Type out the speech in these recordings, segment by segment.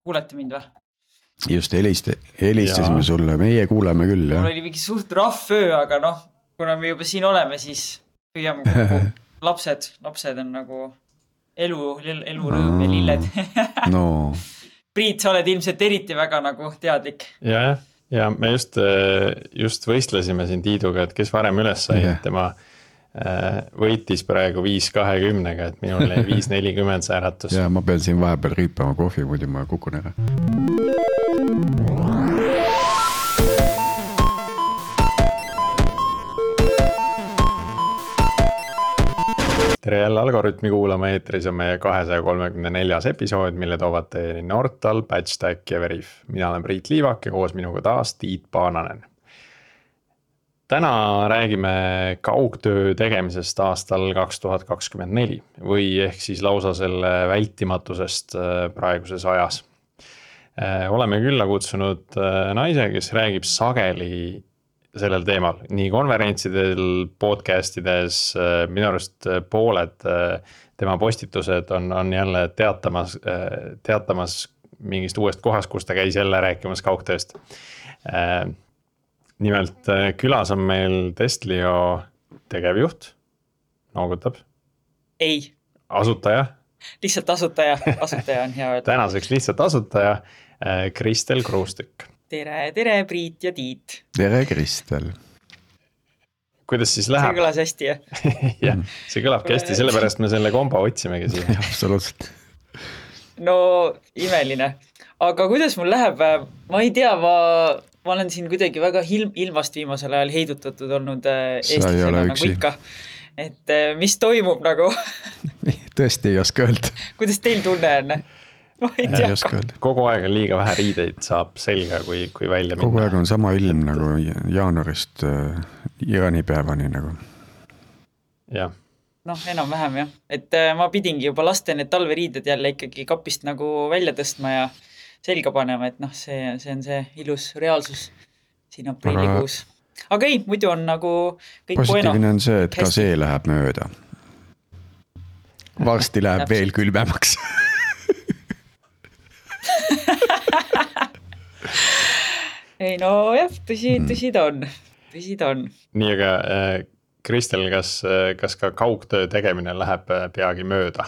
Kuulete mind või? Just helistasime sulle, meie kuuleme küll. Mul oli mingi suht rahv öö, aga noh, kuna me juba siin oleme, siis püüame kokku. Lapsed on nagu elurõõm ja lilled. No. Priit, sa oled ilmselt eriti väga nagu teadlik. Ja me just võistlesime siin Tiiduga, et kes varem üles sai, et tema võitis praegu 5:20, et minul oli 5:40 see äratus. Ja ma pean siin vahepeal rüüpama kohvi, muidu ma kukun ära. Tere jälle Algorütmi kuulama, eetris on meie 234. episood, mille toovad teieni Nortal, Patchstack ja Veriff. Mina olen Priit Liivak ja koos minuga taas Tiit Paananen. Täna räägime kaugtöö tegemisest aastal 2024 või ehk siis lausa selle vältimatusest praeguses ajas. Oleme külla kutsunud naise, kes räägib sageli sellel teemal, nii konverentsidel, podcastides, minu arust pooled tema postitused on jälle teatamas mingist uuest kohast, kus ta käis jälle rääkimas kaugtööst. Nimelt külas on meil Testlio tegevjuht, noogutab. Ei. Asutaja. Lihtsalt asutaja on hea öelda. Tänaseks lihtsalt asutaja, Kristel Kruustik. Tere Priit ja Tiit. Tere Kristel. Kuidas siis läheb? See kõlas hästi, jah? Jah, see kõlabki hästi, sellepärast me selle kombo otsimegi siia. Absoluutselt. No, imeline. Aga kuidas mul läheb? Ma ei tea, ma olen siin kuidagi väga ilmast viimasel ajal heidutatud olnud eestlasena nagu ikka. Et mis toimub nagu? Tõesti ei oska öelda. Kuidas teil tunne on? Ma ei tea. Kogu aeg on liiga vähe riideid, saab selga, kui välja minna. Kogu aeg on sama ilm nagu jaanuarist jaanipäevani nagu. Jah. Noh, enam-vähem jah. Et ma pidingi juba laste need talveriided jälle ikkagi kapist nagu välja tõstma ja selga panema, et noh, see on see ilus reaalsus siin aprillikuus. Aga ei, muidu on nagu kõik positiivne on see, et ka see läheb mööda. Varsti läheb veel külmemaks. Ei no jah, tõsi ta on. Nii, aga Kristel, kas ka kaugtöö tegemine läheb peagi mööda?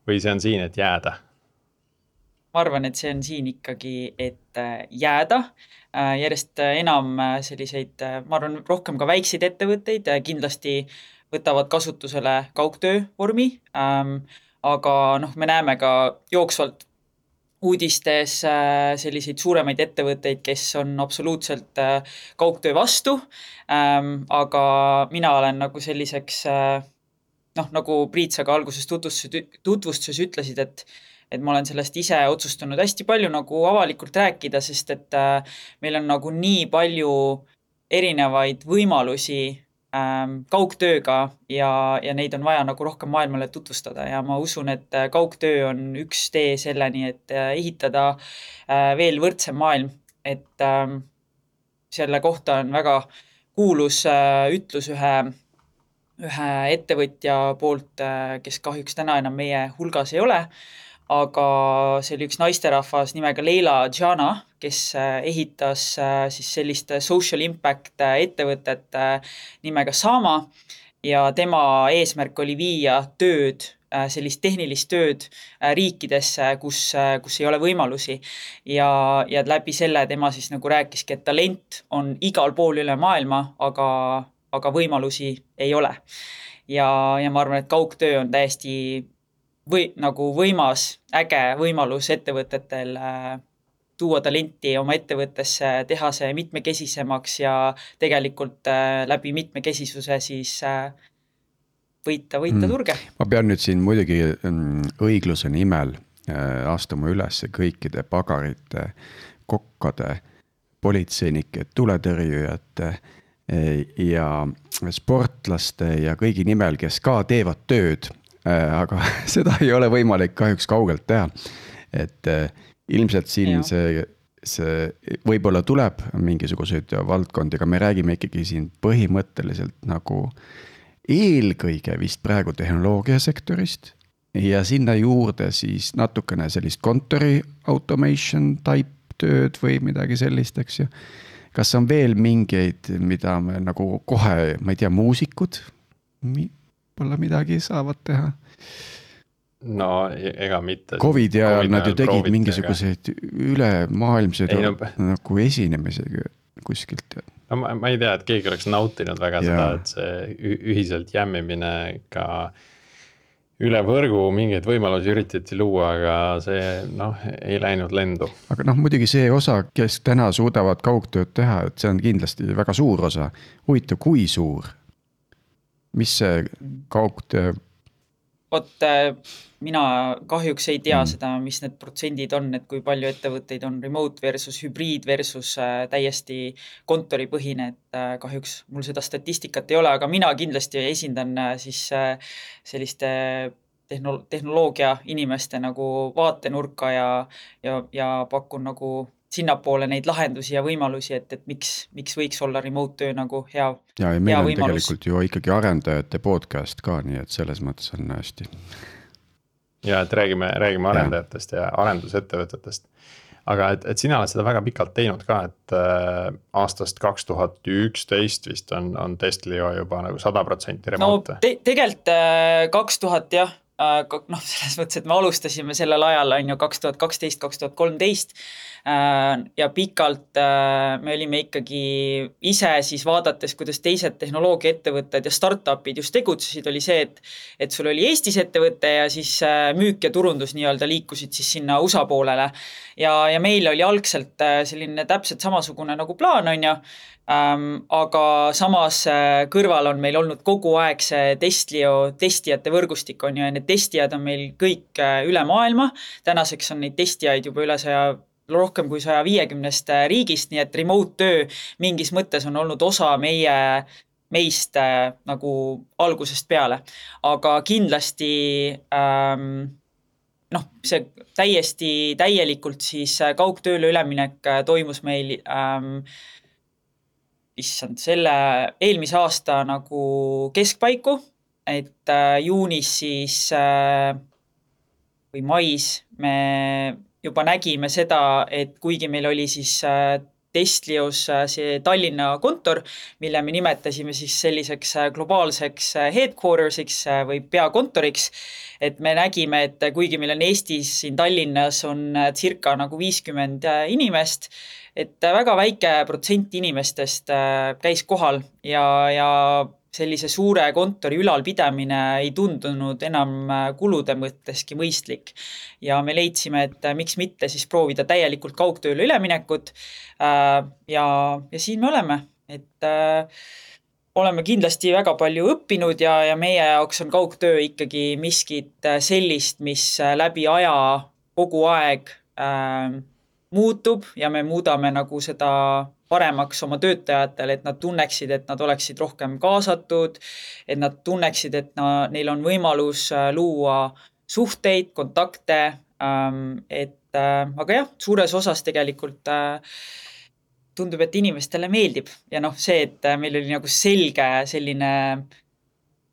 Või see on siin, et jääda? Ma arvan, et see on siin ikkagi, et jääda. Järjest enam selliseid, ma arvan, rohkem ka väikseid ettevõtteid kindlasti võtavad kasutusele kaugtöö vormi. Aga noh, me näeme ka jooksvalt uudistes selliseid suuremaid ettevõtteid, kes on absoluutselt kaugtöö vastu. Aga mina olen nagu selliseks, noh, nagu Priit sa ka alguses tutvustuses ütlesid, et ma olen sellest ise otsustanud hästi palju nagu avalikult rääkida, sest et meil on nagu nii palju erinevaid võimalusi kaugtööga ja neid on vaja nagu rohkem maailmale tutvustada ja ma usun, et kaugtöö on üks tee selleni, et ehitada veel võrdsem maailm, et selle kohta on väga kuulus ütlus ühe ettevõtja poolt, kes kahjuks täna enam meie hulgas ei ole, aga see oli üks naisterahvas nimega Leila Džana, kes ehitas siis sellist social impact ettevõtet nimega Sama ja tema eesmärk oli viia tööd, sellist tehnilist tööd riikidesse, kus ei ole võimalusi ja läbi selle tema siis nagu rääkiski, et talent on igal pool üle maailma, aga võimalusi ei ole. Ja ma arvan, et kaugtöö on täiesti nagu võimas, äge võimalus ettevõtetel tuua talenti oma ettevõttesse, teha see mitmekesisemaks ja tegelikult läbi mitmekesisuse siis võita turge. Ma pean nüüd siin muidugi õigluse nimel astuma üles kõikide pagarite, kokkade, politseinike, tuletõrjujate ja sportlaste ja kõigi nimel, kes ka teevad tööd, aga seda ei ole võimalik kahjuks kaugelt teha. Et ilmselt siin see võib-olla tuleb mingisuguseid valdkondi, aga me räägime ikkagi siin põhimõtteliselt nagu eelkõige vist praegu tehnoloogiasektorist ja sinna juurde siis natukene sellist kontori automation type tööd või midagi sellist, eks ju. Kas on veel mingeid, mida me nagu kohe, ma ei tea, muusikud võib-olla midagi saavad teha? No ega mitte. Covidi ajal nad ju tegid mingisuguseid ülemaailmseid nagu esinemisi kuskilt. No ma ei tea, et keegi oleks nautinud väga seda, et see ühiselt jämmimine ka üle võrgu mingeid võimalusi üritati luua, aga see ei läinud lendu. Aga muidugi see osa, kes täna suudavad kaugtööd teha, et see on kindlasti väga suur osa. Huvitav, kui suur? Mis see kaugtöö? Mina kahjuks ei tea seda, mis need protsendid on, et kui palju ettevõtteid on remote versus hübriid versus täiesti kontoripõhine, et kahjuks mul seda statistikat ei ole, aga mina kindlasti esindan siis selliste tehnoloogia inimeste nagu vaatenurka ja pakun nagu sinnapoole neid lahendusi ja võimalusi, et miks võiks olla remote töö nagu hea võimalus. Ja meil on tegelikult ju ikkagi arendajate podcast ka, nii et selles mõttes on hästi. Ja et räägime arendajatest ja arendusettevõtetest. Aga et sina oled seda väga pikalt teinud ka, et aastast 2011 vist on Testlio juba nagu 100% remote. No tegelikult 2000 jah. Selles mõttes, et me alustasime sellel ajal 2012-2013 ja pikalt me olime ikkagi ise siis vaadates, kuidas teised tehnoloogiaettevõtted ja startupid just tegutsesid, oli see, et sul oli Eestis ettevõte ja siis müük ja turundus nii-öelda liikusid siis sinna USA poolele ja meil oli algselt selline täpselt samasugune nagu plaan on ju, aga samas kõrval on meil olnud kogu aeg see Testlio testijate võrgustik on ju, ja need testijad on meil kõik üle maailma. Tänaseks on neid testijaid juba rohkem kui 150 riigist, nii et remote töö mingis mõttes on olnud osa meist nagu algusest peale. Aga kindlasti see täielikult siis kaugtööle üleminek toimus meil selle eelmise aasta nagu keskpaiku, et juunis siis või mais me juba nägime seda, et kuigi meil oli siis Testlios see Tallinna kontor, mille me nimetasime siis selliseks globaalseks headquartersiks või peakontoriks, et me nägime, et kuigi meil on Eestis siin Tallinnas on circa nagu 50 inimest, et väga väike protsent inimestest käis kohal ja sellise suure kontori ülalpidamine ei tundunud enam kulude mõtteski mõistlik. Ja me leidsime, et miks mitte siis proovida täielikult kaugtööle üleminekut ja siin me oleme. Et oleme kindlasti väga palju õppinud ja meie jaoks on kaugtöö ikkagi miskit sellist, mis läbi aja kogu aeg muutub ja me muudame nagu seda paremaks oma töötajatele, et nad tunneksid, et nad oleksid rohkem kaasatud, et nad tunneksid, et neil on võimalus luua suhteid, kontakte, aga jah, suures osas tegelikult tundub, et inimestele meeldib ja see, et meil oli nagu selge selline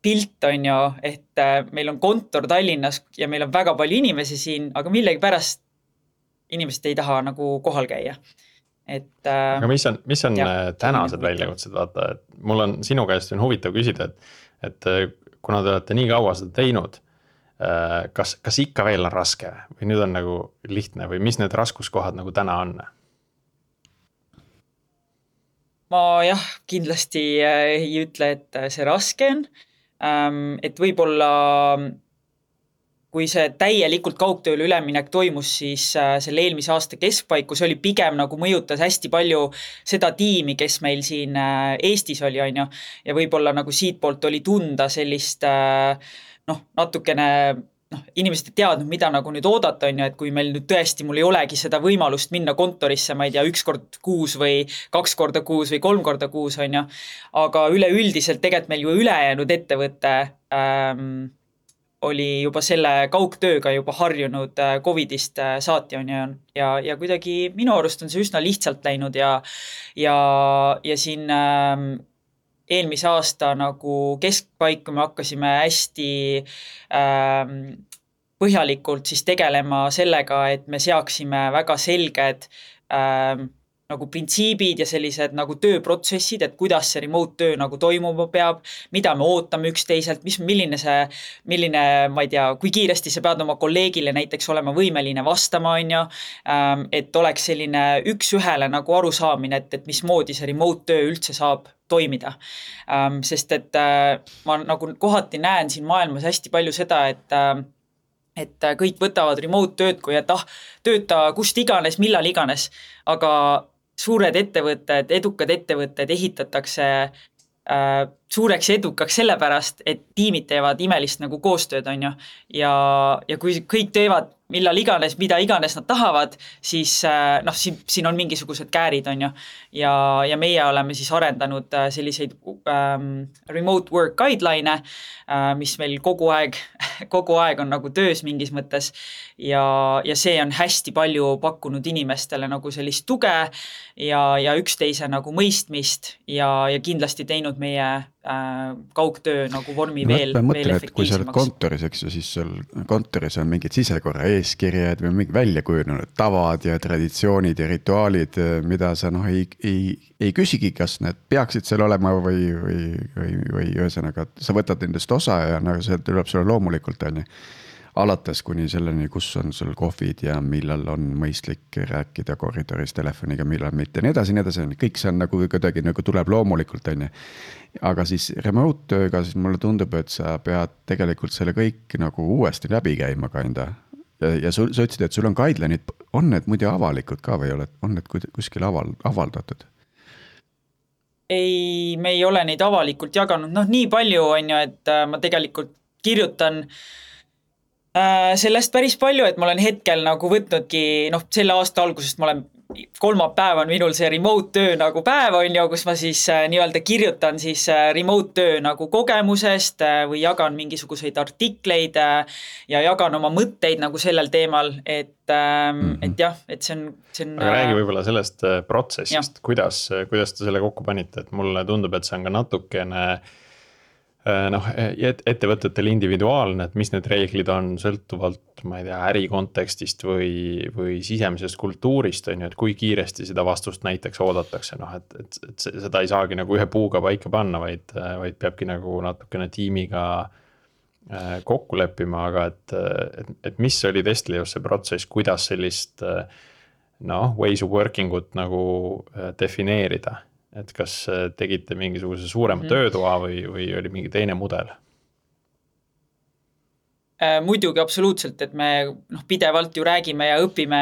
pilt on ju, et meil on kontor Tallinnas ja meil on väga palju inimesi siin, aga millegipärast inimesed ei taha nagu kohal käia. Aga mis on tänased väljakutsed, vaata, et mul on sinu käest on huvitav küsida, et kuna te olete nii kaua seda teinud, kas ikka veel on raske või nüüd on nagu lihtne või mis need raskuskohad nagu täna on? Ma jah, kindlasti ei ütle, et see raske on, et võib-olla kui see täielikult kaugtööle üleminek toimus, siis selle eelmise aasta keskpaiku, see oli pigem nagu mõjutas hästi palju seda tiimi, kes meil siin Eestis oli, on ju, ja võib-olla nagu siitpoolt oli tunda sellist natukene inimesed ei teadnud, mida nagu nüüd oodata, on ju, et kui meil nüüd tõesti mul ei olegi seda võimalust minna kontorisse, ma ei tea, 1 kord kuus või 2 korda kuus või 3 korda kuus, on ju, aga üleüldiselt tegelikult meil ju ülejäänud ettevõte oli juba selle kaugtööga juba harjunud Covidist saati on ja kuidagi minu arust on see üsna lihtsalt läinud ja siin eelmise aasta nagu keskpaiku me hakkasime hästi põhjalikult siis tegelema sellega, et me seaksime väga selged nagu printsiibid ja sellised nagu tööprotsessid, et kuidas see remote töö nagu toimuma peab, mida me ootame üksteiselt, milline, ma ei tea, kui kiiresti sa pead oma kolleegile näiteks olema võimeline vastama, on ju, et oleks selline üks-ühele nagu arusaamine, et mismoodi see remote töö üldse saab toimida. Sest et ma nagu kohati näen siin maailmas hästi palju seda, et kõik võtavad remote tööd, kui et tööta kust iganes, millal iganes, aga suured ettevõtted, edukad ettevõtted ehitatakse suureks ja edukaks sellepärast, et tiimid teevad imelist nagu koostööd, on ju. Ja kui kõik teevad millal iganes, mida iganes nad tahavad, siis siin on mingisugused käärid, on ju. Ja meie oleme siis arendanud selliseid remote work guideline, mis meil kogu aeg on nagu töös mingis mõttes ja see on hästi palju pakkunud inimestele nagu sellist tuge ja üksteise nagu mõistmist ja kindlasti teinud meie kaugtöö nagu vormi veel efektiivsemaks. Kui sa oled kontoris, eks ju, siis sul kontoris on mingid sisekorra eeskirjad või mingi välja kujunenud tavad ja traditsioonid ja rituaalid, mida sa ei küsigi, kas need peaksid seal olema või ühesõnaga, sa võtad nendest osa ja nagu see tuleb sulle loomulikult, on ju. Alates kuni selleni, kus on sul kohvid ja millal on mõistlik rääkida koridoris telefoniga, millal mitte, nii edasi, kõik see on nagu kuidagi nagu tuleb loomulikult, on ju. Aga siis remote tööga siis mulle tundub, et sa pead tegelikult selle kõik nagu uuesti läbi käima kanda. Ja sa ütlesid, et sul on guideline'id, on need muidu avalikud ka või on need kuskil avaldatud? Ei, me ei ole neid avalikult jaganud, nii palju on ju, et ma tegelikult kirjutan sellest päris palju, et ma olen hetkel nagu võtnudki, selle aasta algusest ma olen kolmapäev on minul see remote töö nagu päev on ju, kus ma siis nii-öelda kirjutan siis remote töö nagu kogemusest või jagan mingisuguseid artikleid ja jagan oma mõtteid nagu sellel teemal, et jah, et see on aga räägi võib-olla sellest protsessist, kuidas te selle kokku panite, et mulle tundub, et see on ka natukene ettevõtetel individuaalne, et mis need reeglid on sõltuvalt, ma ei tea, äri kontekstist või sisemisest kultuurist, on ju, et kui kiiresti seda vastust näiteks oodatakse, et seda ei saagi nagu ühe puuga paika panna, vaid peabki nagu natukene tiimiga kokku leppima, aga et mis oli Estlios see protsess, kuidas sellist ways of working ut nagu defineerida? Et kas tegite mingisuguse suurema töötoa või oli mingi teine mudel? Muidugi absoluutselt, et me pidevalt ju räägime ja õpime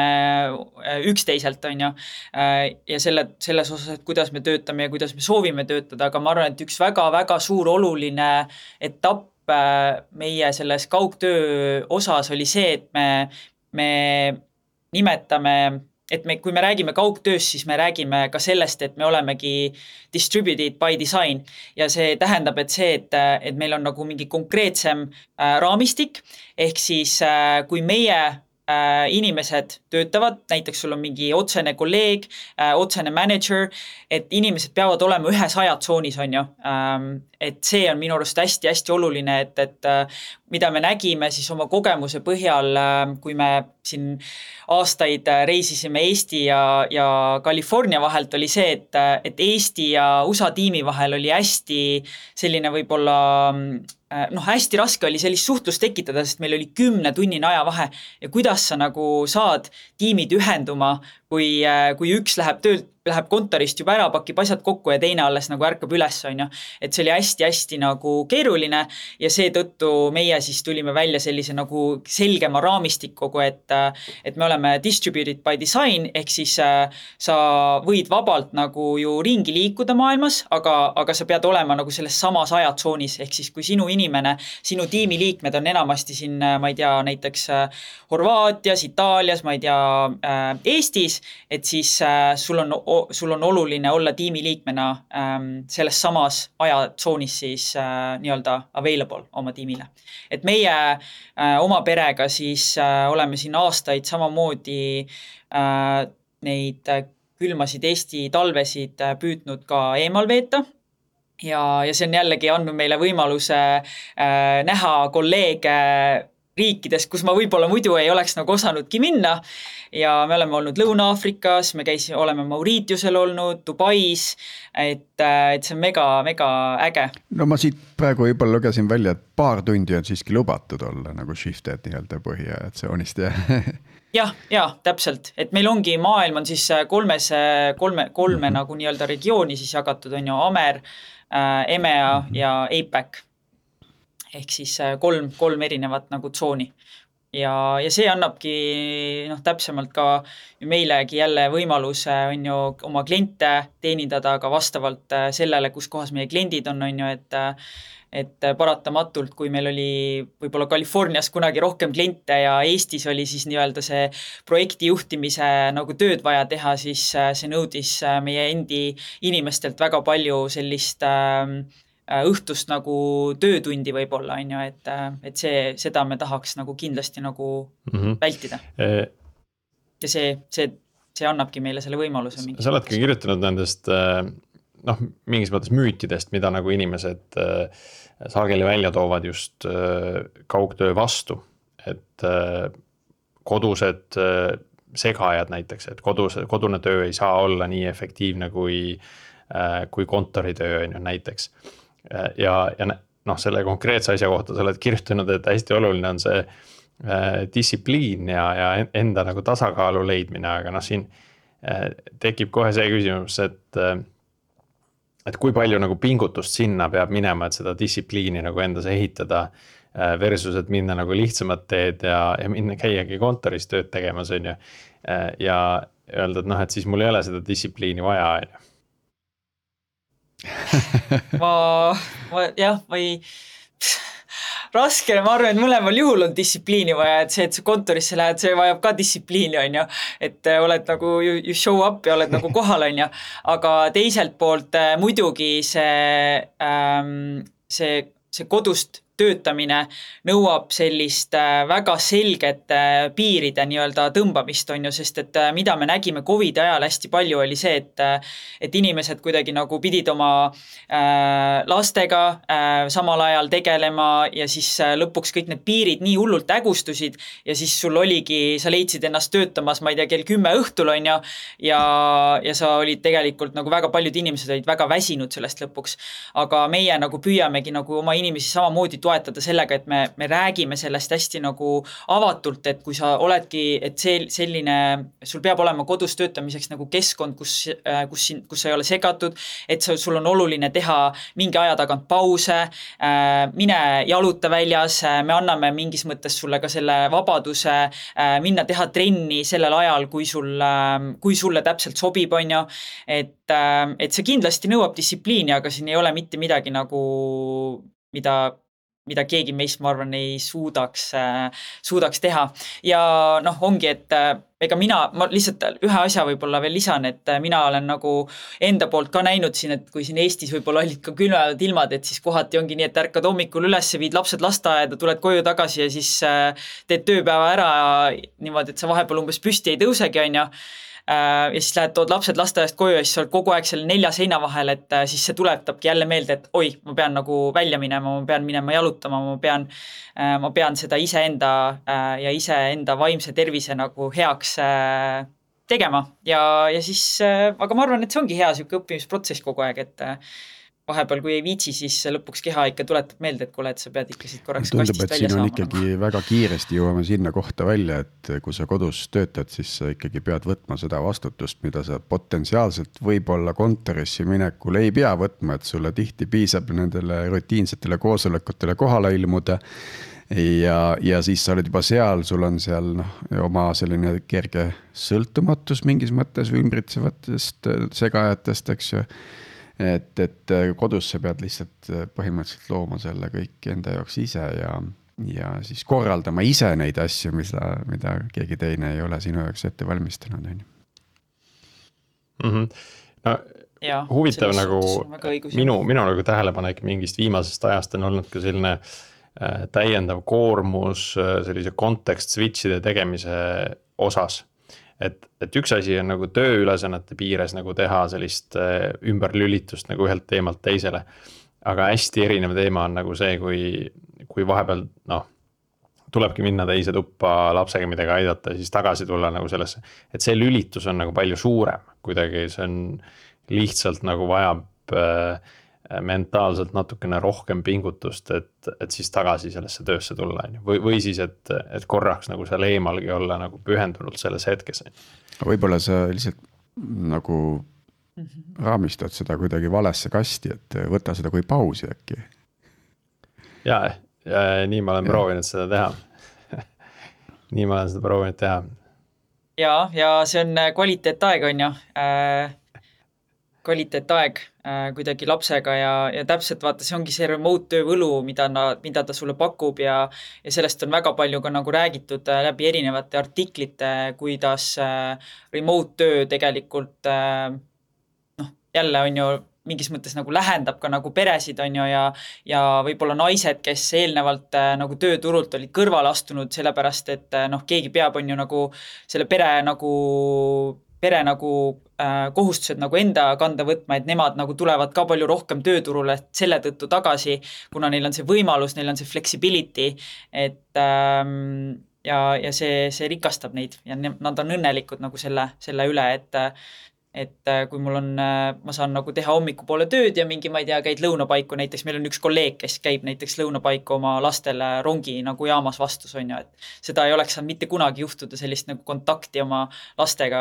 üksteiselt, on ju. Ja selles osas, et kuidas me töötame ja kuidas me soovime töötada, aga ma arvan, et üks väga-väga suur oluline etapp meie selles kaugtöö osas oli see, et me nimetame et kui me räägime kaugtööst, siis me räägime ka sellest, et me olemegi distributed by design ja see tähendab, et meil on nagu mingi konkreetsem raamistik, ehk siis kui meie inimesed töötavad, näiteks sul on mingi otsene kolleeg, otsene manager, et inimesed peavad olema ühes ajatsoonis, on ju. Et see on minu arust hästi-hästi oluline, et mida me nägime siis oma kogemuse põhjal, kui me siin aastaid reisisime Eesti ja California vahelt, oli see, et Eesti ja USA tiimi vahel oli hästi selline võib-olla hästi raske oli sellist suhtlust tekitada, sest meil oli 10-tunnine ajavahe ja kuidas sa nagu saad tiimid ühenduma, kui üks läheb kontorist juba ära, pakib asjad kokku ja teine alles nagu ärkab üles, on ju. Et see oli hästi-hästi nagu keeruline ja seetõttu meie siis tulime välja sellise nagu selgema raamistikuga, et me oleme distributed by design, ehk siis sa võid vabalt nagu ju ringi liikuda maailmas, aga sa pead olema nagu selles samas ajatsoonis, ehk siis kui sinu inimene, sinu tiimiliikmed on enamasti siin, ma ei tea, näiteks Horvaatias, Itaalias, ma ei tea, Eestis, et siis sul on oluline olla tiimiliikmena selles samas ajatsoonis siis nii-öelda available oma tiimile. Et meie oma perega siis oleme siin aastaid samamoodi neid külmasid Eesti talvesid püüdnud ka eemal veeta. Ja see on jällegi andnud meile võimaluse näha kolleege riikides, kus ma võib-olla muidu ei oleks nagu osanudki minna ja me oleme olnud Lõuna-Aafrikas, oleme Mauritiusel olnud, Dubais, et see on mega äge. No ma siit praegu juba lugesin välja, et paar tundi on siiski lubatud olla nagu shifted nii-öelda põhiajatsioonist ja, täpselt, et meil ongi maailm on siis kolme nagu nii-öelda regiooni siis jagatud on ju Amer, EMEA ja APAC. Ehk siis kolm erinevat nagu tsooni. Ja see annabki täpsemalt ka meilegi jälle võimaluse on ju oma kliente teenindada ka vastavalt sellele, kus kohas meie kliendid on ju, et paratamatult, kui meil oli võib-olla Californias kunagi rohkem kliente ja Eestis oli siis nii-öelda see projekti juhtimise nagu tööd vaja teha, siis see nõudis meie endi inimestelt väga palju sellist õhtust nagu töötundi võib-olla on ju, et seda me tahaks nagu kindlasti nagu vältida. Ja see annabki meile selle võimaluse. Sa oledki kirjutanud nendest mingis mõttes müütidest, mida nagu inimesed sageli välja toovad just kaugtöö vastu, et kodused segajad näiteks, et kodune töö ei saa olla nii efektiivne kui kontoritöö on ju näiteks. Ja selle konkreetse asja kohta sa oled kirjutanud, et hästi oluline on see distsipliin ja enda nagu tasakaalu leidmine, aga siin tekib kohe see küsimus, et kui palju nagu pingutust sinna peab minema, et seda distsipliini nagu endas ehitada versus, et minna nagu lihtsamad teed ja minna käiagi kontoris tööd tegemas on ju, ja öelda, et siis mul ei ole seda distsipliini vaja on ju. Raske, ma arvan, et mõlemal juhul on distsipliini vaja, et sa kontorisse lähed, see vajab ka distsipliini on ju, et oled nagu you show up ja oled nagu kohal on ju, aga teiselt poolt muidugi see kodust töötamine nõuab sellist väga selget piiride nii-öelda tõmbamist on ju, sest et mida me nägime COVID ajal hästi palju oli see, et inimesed kuidagi nagu pidid oma lastega samal ajal tegelema ja siis lõpuks kõik need piirid nii hullult ägustusid ja siis sul oligi, sa leidsid ennast töötamas, ma ei tea, kell 10 õhtul on ju, ja sa olid tegelikult nagu väga paljud inimesed olid väga väsinud sellest lõpuks, aga meie nagu püüamegi nagu oma inimesi samamoodi toetada sellega, et me räägime sellest hästi nagu avatult, et kui sa oledki, et selline, sul peab olema kodus töötamiseks nagu keskkond, kus sa ei ole segatud, et sul on oluline teha mingi aja tagant pause, mine jaluta väljas, me anname mingis mõttes sulle ka selle vabaduse minna teha trenni sellel ajal, kui sulle täpselt sobib, on ju, et see kindlasti nõuab distsipliini, aga siin ei ole mitte midagi nagu, mida keegi meist, ma arvan, ei suudaks teha. Ja ongi, et ega ma lihtsalt ühe asja võib-olla veel lisan, et mina olen nagu enda poolt ka näinud siin, et kui siin Eestis võib-olla olid ka külmad ilmad, et siis kohati ongi nii, et ärkad hommikul üles, viid lapsed lasteaeda, tuled koju tagasi ja siis teed tööpäeva ära niimoodi, et sa vahepeal umbes püsti ei tõusegi, on ju. Ja siis tood lapsed lasteaiast koju ja siis sa oled kogu aeg selle 4 seina vahel, et siis see tuletabki jälle meelde, et oi, ma pean nagu välja minema, ma pean minema jalutama, ma pean seda iseenda ja iseenda vaimse tervise nagu heaks tegema ja siis, aga ma arvan, et see ongi hea siuke õppimisprotsess kogu aeg, et vahepeal, kui ei viitsi, siis lõpuks keha ikka tuletab meelde, et kuule, et sa pead ikka siit korraks tundub, kastist välja saama. Tundub, et siin on ikkagi väga kiiresti jõuame sinna kohta välja, et kui sa kodus töötad, siis sa ikkagi pead võtma seda vastutust, mida sa potentsiaalselt võib-olla kontorisse minekul ei pea võtma, et sulle tihti piisab nendele rutiinsetele koosolekutele kohale ilmuda ja siis sa oled juba seal, sul on seal oma selline kerge sõltumatus mingis mõttes ümbritsevatest segajatest, eks ju. Et kodus sa pead lihtsalt põhimõtteliselt looma selle kõik enda jaoks ise ja siis korraldama ise neid asju, mida keegi teine ei ole sinu jaoks ette valmistanud. Huvitav nagu minu nagu tähelepanek mingist viimasest ajast on olnud ka selline täiendav koormus sellise kontekst switchide tegemise osas. Et üks asi on nagu tööülesannete piires nagu teha sellist ümberlülitust nagu ühelt teemalt teisele. Aga hästi erinev teema on nagu see, kui vahepeal tulebki minna teise tuppa lapsega midagi aidata ja siis tagasi tulla nagu sellesse. Et see lülitus on nagu palju suurem, kuidagi see on lihtsalt nagu vajab mentaalselt natukene rohkem pingutust, et siis tagasi sellesse töösse tulla. Või siis, et korraks nagu seal eemalgi olla nagu pühendunult selles hetkes. Võib-olla sa lihtsalt nagu raamistad seda kuidagi valesse kasti, et võta seda kui pausi äkki. Ja nii ma olen proovinud seda teha. Nii ma olen seda proovinud teha. Ja see on kvaliteetaeg on ju. Kvaliteetaeg kuidagi lapsega ja täpselt vaata, see ongi see remote töö võlu, mida ta sulle pakub ja sellest on väga palju ka nagu räägitud läbi erinevate artiklite, kuidas remote töö tegelikult jälle on ju mingis mõttes nagu lähendab ka nagu peresid on ju ja võib-olla naised, kes eelnevalt nagu tööturult olid kõrvale astunud, sellepärast et keegi peab on ju nagu selle pere nagu kohustused nagu enda kanda võtma, et nemad nagu tulevad ka palju rohkem tööturule selle tõttu tagasi, kuna neil on see võimalus, neil on see flexibility, et ja see rikastab neid ja nad on õnnelikud nagu selle üle, et kui mul on, ma saan nagu teha hommikupoole tööd ja mingi, ma ei tea, käid lõunapaiku, näiteks meil on üks kolleeg, kes käib näiteks lõunapaiku oma lastele rongi nagu jaamas vastus on ju, et seda ei oleks saanud mitte kunagi juhtuda sellist nagu kontakti oma lastega,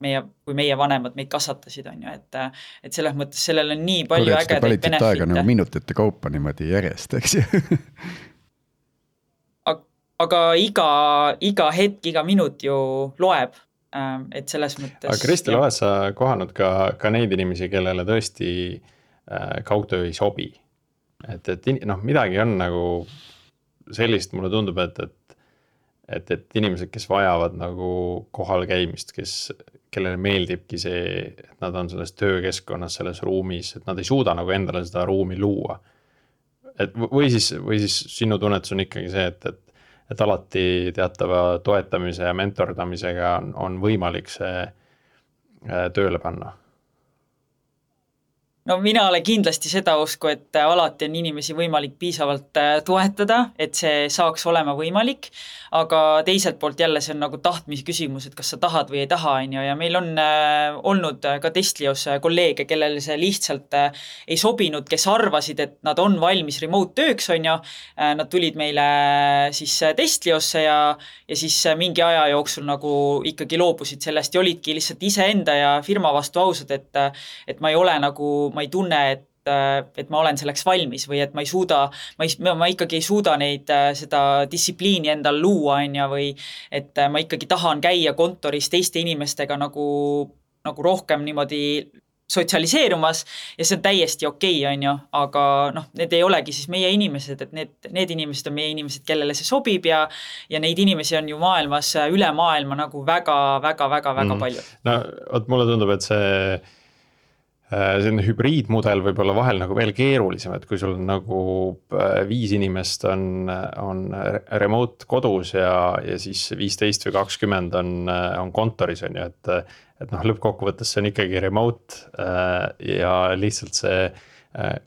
kui meie vanemad meid kasvatasid on ju, et selles mõttes sellel on nii palju ägedaid benefite. Nagu minutite kaupa niimoodi järjest, eks ju? Aga iga hetk, iga minut ju loeb. Et selles mõttes. Aga Kristel, oled sa kohanud ka neid inimesi, kellele tõesti kaugtöö ei sobi? Et midagi on nagu sellist, mulle tundub, et inimesed, kes vajavad nagu kohal käimist, kellele meeldibki see, et nad on selles töökeskkonnas, selles ruumis, et nad ei suuda nagu endale seda ruumi luua. Või siis sinu tunnetus on ikkagi see, et alati teatava toetamise ja mentordamisega on võimalik see tööle panna. No mina olen kindlasti seda usku, et alati on inimesi võimalik piisavalt toetada, et see saaks olema võimalik, aga teiselt poolt jälle see on nagu tahtmise küsimus, et kas sa tahad või ei taha, ja meil on olnud ka Testlios kolleege, kellele see lihtsalt ei sobinud, kes arvasid, et nad on valmis remote tööks, nad tulid meile siis Testliosse ja siis mingi aja jooksul nagu ikkagi loobusid sellest ja olidki lihtsalt iseenda ja firma vastu ausad, et ma ei ole nagu ma ei tunne, et ma olen selleks valmis või et ma ikkagi ei suuda neid seda distsipliini endal luua või et ma ikkagi tahan käia kontoris teiste inimestega nagu rohkem niimoodi sotsialiseerumas ja see on täiesti okei, aga need ei olegi siis meie inimesed, et need inimesed on meie inimesed, kellele see sobib ja neid inimesi on ju maailmas, üle maailma nagu väga palju. No, mulle tundub, et selline hübriidmudel võib olla vahel nagu veel keerulisem, et kui sul on nagu 5 inimest on remote kodus ja siis 15 või 20 on kontoris, et lõppkokkuvõttes see on ikkagi remote ja lihtsalt see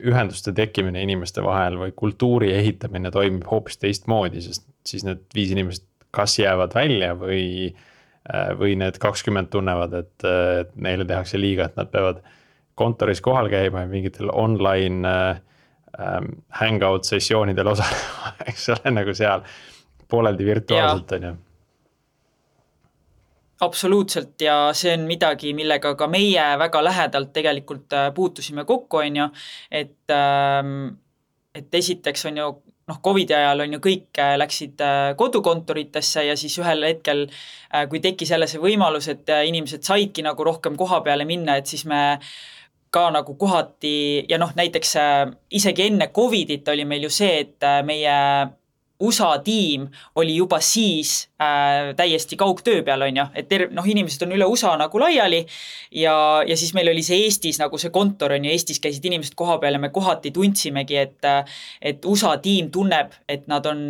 ühenduste tekkimine inimeste vahel või kultuuri ehitamine toimib hoopis teistmoodi, sest siis need 5 inimest kas jäävad välja või need 20 tunnevad, et neile tehakse liiga, et nad peavad kontoris kohal käima ja mingitel online hangout sessioonidel osalema, eks ole, nagu seal pooleldi virtuaalselt on ju. Absoluutselt ja see on midagi, millega ka meie väga lähedalt tegelikult puutusime kokku, et esiteks on ju Covidi ajal on ju kõik läksid kodukontoritesse ja siis ühel hetkel, kui tekkis jälle see võimalus, et inimesed saidki nagu rohkem koha peale minna, et siis me ka nagu kohati ja näiteks isegi enne Covidit oli meil ju see, et meie USA tiim oli juba siis täiesti kaugtöö peal, et inimesed on üle USA nagu laiali ja siis meil oli see Eestis nagu see kontor Eestis käisid inimesed koha peal ja me kohati tundsimegi, et USA tiim tunneb, et nad on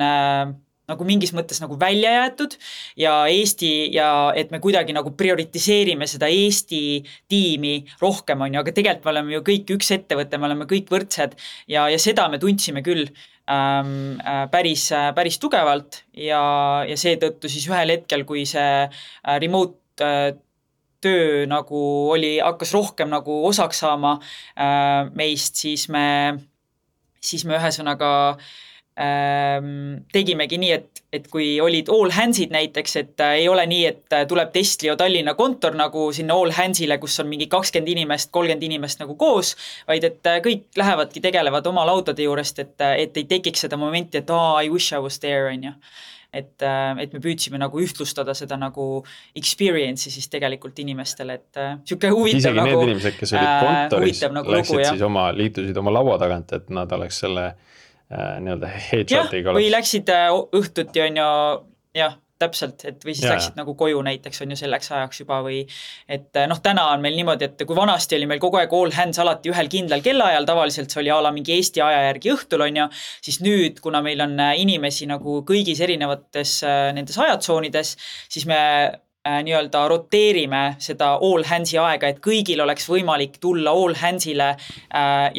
nagu mingis mõttes nagu välja jäetud ja Eesti ja et me kuidagi nagu prioritiseerime seda Eesti tiimi rohkem, aga tegelikult me oleme ju kõik üks ettevõte, me oleme kõik võrdsed ja seda me tundsime küll päris tugevalt ja seetõttu siis ühel hetkel, kui see remote töö nagu hakkas rohkem nagu osaks saama meist, siis me ühesõnaga tegimegi nii, et kui olid all hands'id näiteks, et ei ole nii, et tuleb Testlio Tallinna kontor nagu sinna all hands'ile, kus on mingi 20 inimest, 30 inimest nagu koos, vaid et kõik lähevadki, tegelevad oma laudade juurest, et ei tekiks seda momenti, et I wish I was there, on ju. Et me püüdsime nagu ühtlustada seda nagu experience'i siis tegelikult inimestele, et siuke huvitav isegi nagu need inimesed, kes olid kontoris, nagu läksid liitusid oma laua tagant, et nad oleks selle nii-öelda headshotiga. Või läksid õhtuti, on ju, jah, täpselt, et või siis läksid nagu koju näiteks, on ju selleks ajaks juba või et täna on meil niimoodi, et kui vanasti oli meil kogu aeg all hands alati ühel kindlal kellaajal, tavaliselt see oli mingi Eesti aja järgi õhtul, on ju, siis nüüd, kuna meil on inimesi nagu kõigis erinevates nendes ajatsoonides, siis me nii-öelda roteerime seda all hands'i aega, et kõigil oleks võimalik tulla all hands'ile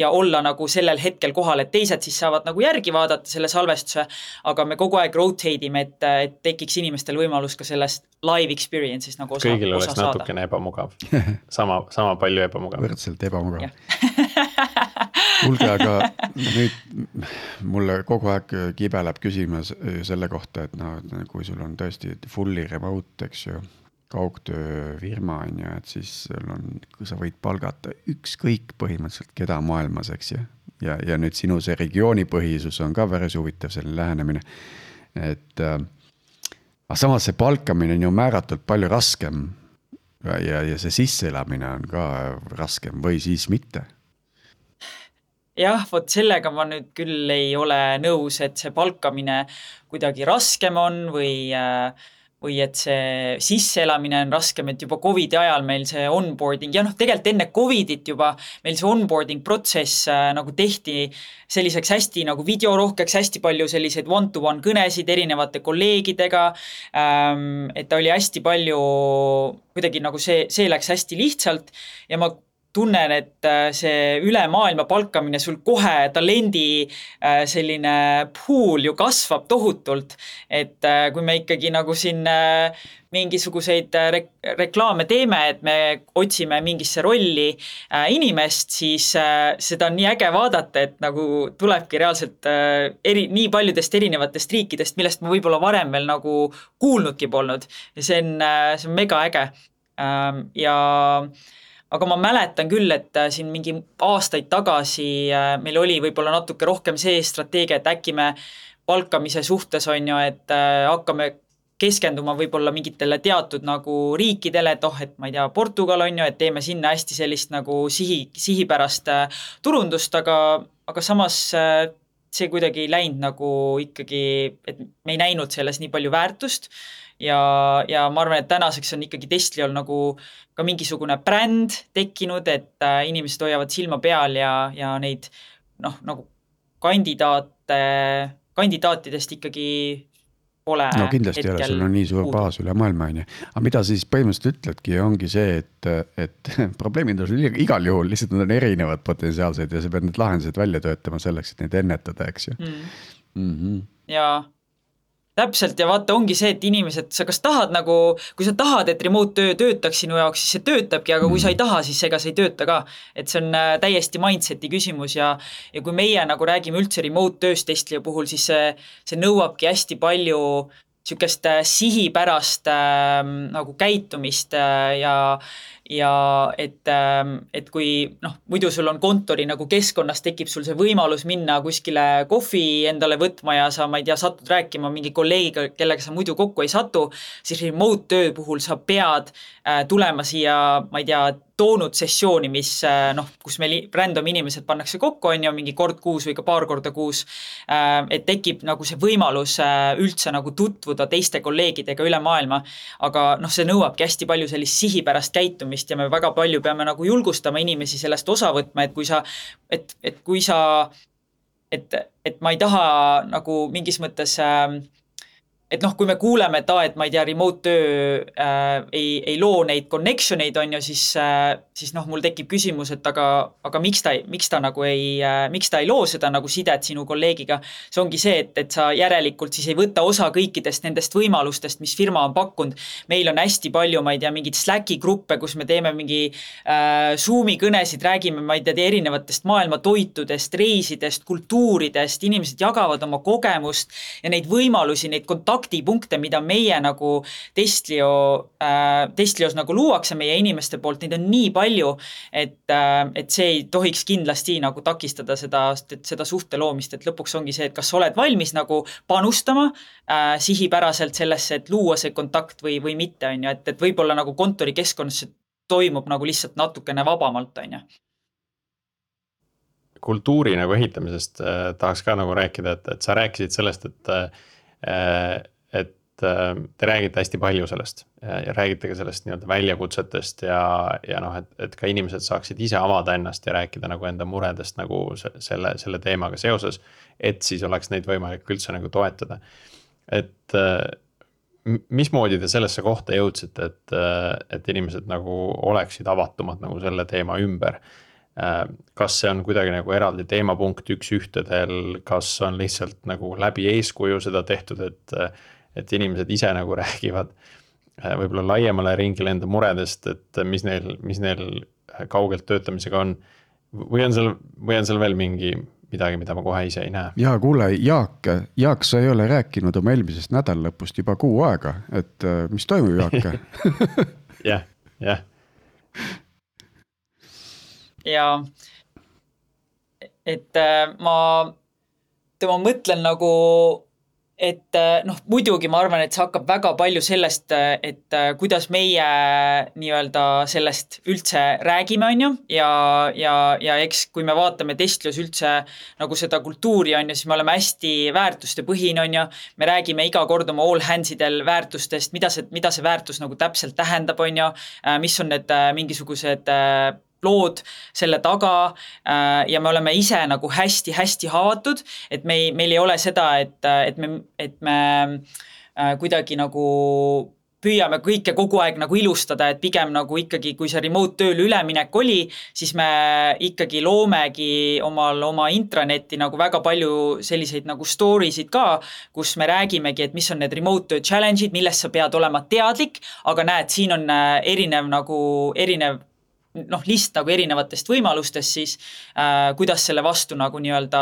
ja olla nagu sellel hetkel kohal, et teised siis saavad nagu järgi vaadata selle salvestuse, aga me kogu aeg rotate ime, et tekiks inimestel võimalus ka sellest live experience'ist nagu osa saada. Kõigil oleks natukene ebamugav. Sama palju ebamugav. Võrdselt ebamugav. Kuulge, aga nüüd mulle kogu aeg kibeleb küsimus selle kohta, et kui sul on tõesti fully remote, eks ju, kaugtöö firma on ju, et siis kui sa võid palgata ükskõik põhimõtteliselt keda maailmas, eks ju, ja nüüd sinu see regioonipõhisus on ka päris huvitav selline lähenemine, et aga samas see palkamine on ju määratult palju raskem ja see sisseelamine on ka raskem või siis mitte. Jah, vot sellega ma nüüd küll ei ole nõus, et see palkamine kuidagi raskem on või et see sisseelamine on raskem, et juba COVID ajal meil see onboarding ja tegelikult enne COVIDit juba meil see onboarding protsess nagu tehti selliseks hästi nagu videorohkeks, hästi palju selliseid one-to-one kõnesid erinevate kolleegidega, et ta oli hästi palju, kuidagi nagu see läks hästi lihtsalt ja ma tunnen, et see üle maailma palkamine sul kohe talendi selline pool ju kasvab tohutult, et kui me ikkagi nagu siin mingisuguseid reklaame teeme, et me otsime mingisse rolli inimest, siis seda on nii äge vaadata, et nagu tulebki reaalselt nii paljudest erinevatest riikidest, millest ma võib-olla varem veel nagu kuulnudki polnud ja see on mega äge aga ma mäletan küll, et siin mingi aastaid tagasi meil oli võib-olla natuke rohkem see strateegia, et äkki me palkamise suhtes on ju, et hakkame keskenduma võib-olla mingitele teatud nagu riikidele, et et ma ei tea, Portugal on ju, et teeme sinna hästi sellist nagu sihipärast turundust, aga samas see kuidagi ei läinud nagu ikkagi, et me ei näinud selles nii palju väärtust ja ma arvan, et tänaseks on ikkagi Testliol nagu ka mingisugune bränd tekkinud, et inimesed hoiavad silma peal ja neid nagu kandidaatidest ikkagi pole. No kindlasti ei ole, sul on nii suur baas üle maailma, on ju. Aga mida siis põhimõtteliselt ütledki, ongi see, et probleemid on sul igal juhul, lihtsalt nad on erinevad potentsiaalsed ja sa pead need lahendused välja töötama selleks, et neid ennetada, eks ju. Ja täpselt ja vaata, ongi see, et inimesed, sa kas tahad nagu, kui sa tahad, et remote töö töötaks sinu jaoks, siis see töötabki, aga kui sa ei taha, siis ega see ei tööta ka. Et see on täiesti mindseti küsimus ja kui meie nagu räägime üldse remote tööst Testlio puhul, siis see nõuabki hästi palju sükest sihipärast nagu käitumist ja et kui muidu sul on kontori nagu keskkonnas tekib sul see võimalus minna kuskile kohvi endale võtma ja sa, ma ei tea, satud rääkima mingi kolleegiga, kellega sa muidu kokku ei satu, siis remote töö puhul sa pead tulema siia, ma ei tea, toonud sessiooni, mis kus meil random inimesed pannakse kokku, on ju, mingi kord kuus või ka paar korda kuus, et tekib nagu see võimalus üldse nagu tutvuda teiste kolleegidega üle maailma, aga see nõuabki hästi palju sellist sihipärast käitumist ja me väga palju peame nagu julgustama inimesi sellest osa võtma, et kui sa, et ma ei taha nagu mingis mõttes et noh, kui me kuuleme, et ma ei tea, remote töö ei loo neid connection eid, on ju, siis noh, mul tekib küsimus, et aga miks ta nagu miks ta ei loo seda nagu sidet sinu kolleegiga. See ongi see, et sa järelikult siis ei võta osa kõikidest nendest võimalustest, mis firma on pakkunud. Meil on hästi palju, ma ei tea, mingid Slacki gruppe, kus me teeme mingi Zoomi kõnesid, räägime, ma ei tea, erinevatest maailma toitudest, reisidest, kultuuridest, inimesed jagavad oma kogemust ja neid võimalusi, neid kontaktipunkte, mida meie nagu Testlios nagu luuakse meie inimeste poolt, neid on nii palju, et see ei tohiks kindlasti nagu takistada seda suhte loomist, et lõpuks ongi see, et kas sa oled valmis nagu panustama sihipäraselt sellesse, et luua see kontakt või mitte, on ju, et võib-olla nagu kontorikeskkonnas see toimub nagu lihtsalt natukene vabamalt, on ju. Kultuuri nagu ehitamisest tahaks ka nagu rääkida, et sa rääkisid sellest, et te räägite hästi palju sellest ja räägite ka sellest nii-öelda väljakutsetest ja noh, et ka inimesed saaksid ise avada ennast ja rääkida nagu enda muredest nagu selle teemaga seoses, et siis oleks neid võimalik üldse nagu toetada. Et mismoodi te sellesse kohta jõudsite, et inimesed nagu oleksid avatumad nagu selle teema ümber? Kas see on kuidagi nagu eraldi teemapunkt üks ühtedel, kas on lihtsalt nagu läbi eeskuju seda tehtud, et inimesed ise nagu räägivad võib-olla laiemale ringile enda muredest, et mis neil kaugelt töötamisega on, või on seal veel midagi, mida ma kohe ise ei näe? Ja kuule, Jaak, sa ei ole rääkinud oma eelmisest nädalalõpust juba kuu aega, et mis toimub, Jaak? Jah. Ja et ma mõtlen nagu, et noh, muidugi ma arvan, et see hakkab väga palju sellest, et kuidas meie nii-öelda sellest üldse räägime, on ju, ja eks kui me vaatame Testlios üldse nagu seda kultuuri, on ju, siis me oleme hästi väärtuste põhine, on ju, me räägime iga kord oma all handsidel väärtustest, mida see väärtus nagu täpselt tähendab, on ju, mis on need mingisugused lood selle taga ja me oleme ise nagu hästi-hästi haavatud, et meil ei ole seda, et me kuidagi nagu püüame kõike kogu aeg nagu ilustada, et pigem nagu ikkagi, kui see remote tööl üleminek oli, siis me ikkagi loomegi oma intranetti nagu väga palju selliseid nagu storiesid ka, kus me räägimegi, et mis on need remote töö challenge'id, millest sa pead olema teadlik, aga näed, siin on erinev list nagu erinevatest võimalustest siis, kuidas selle vastu nagu nii-öelda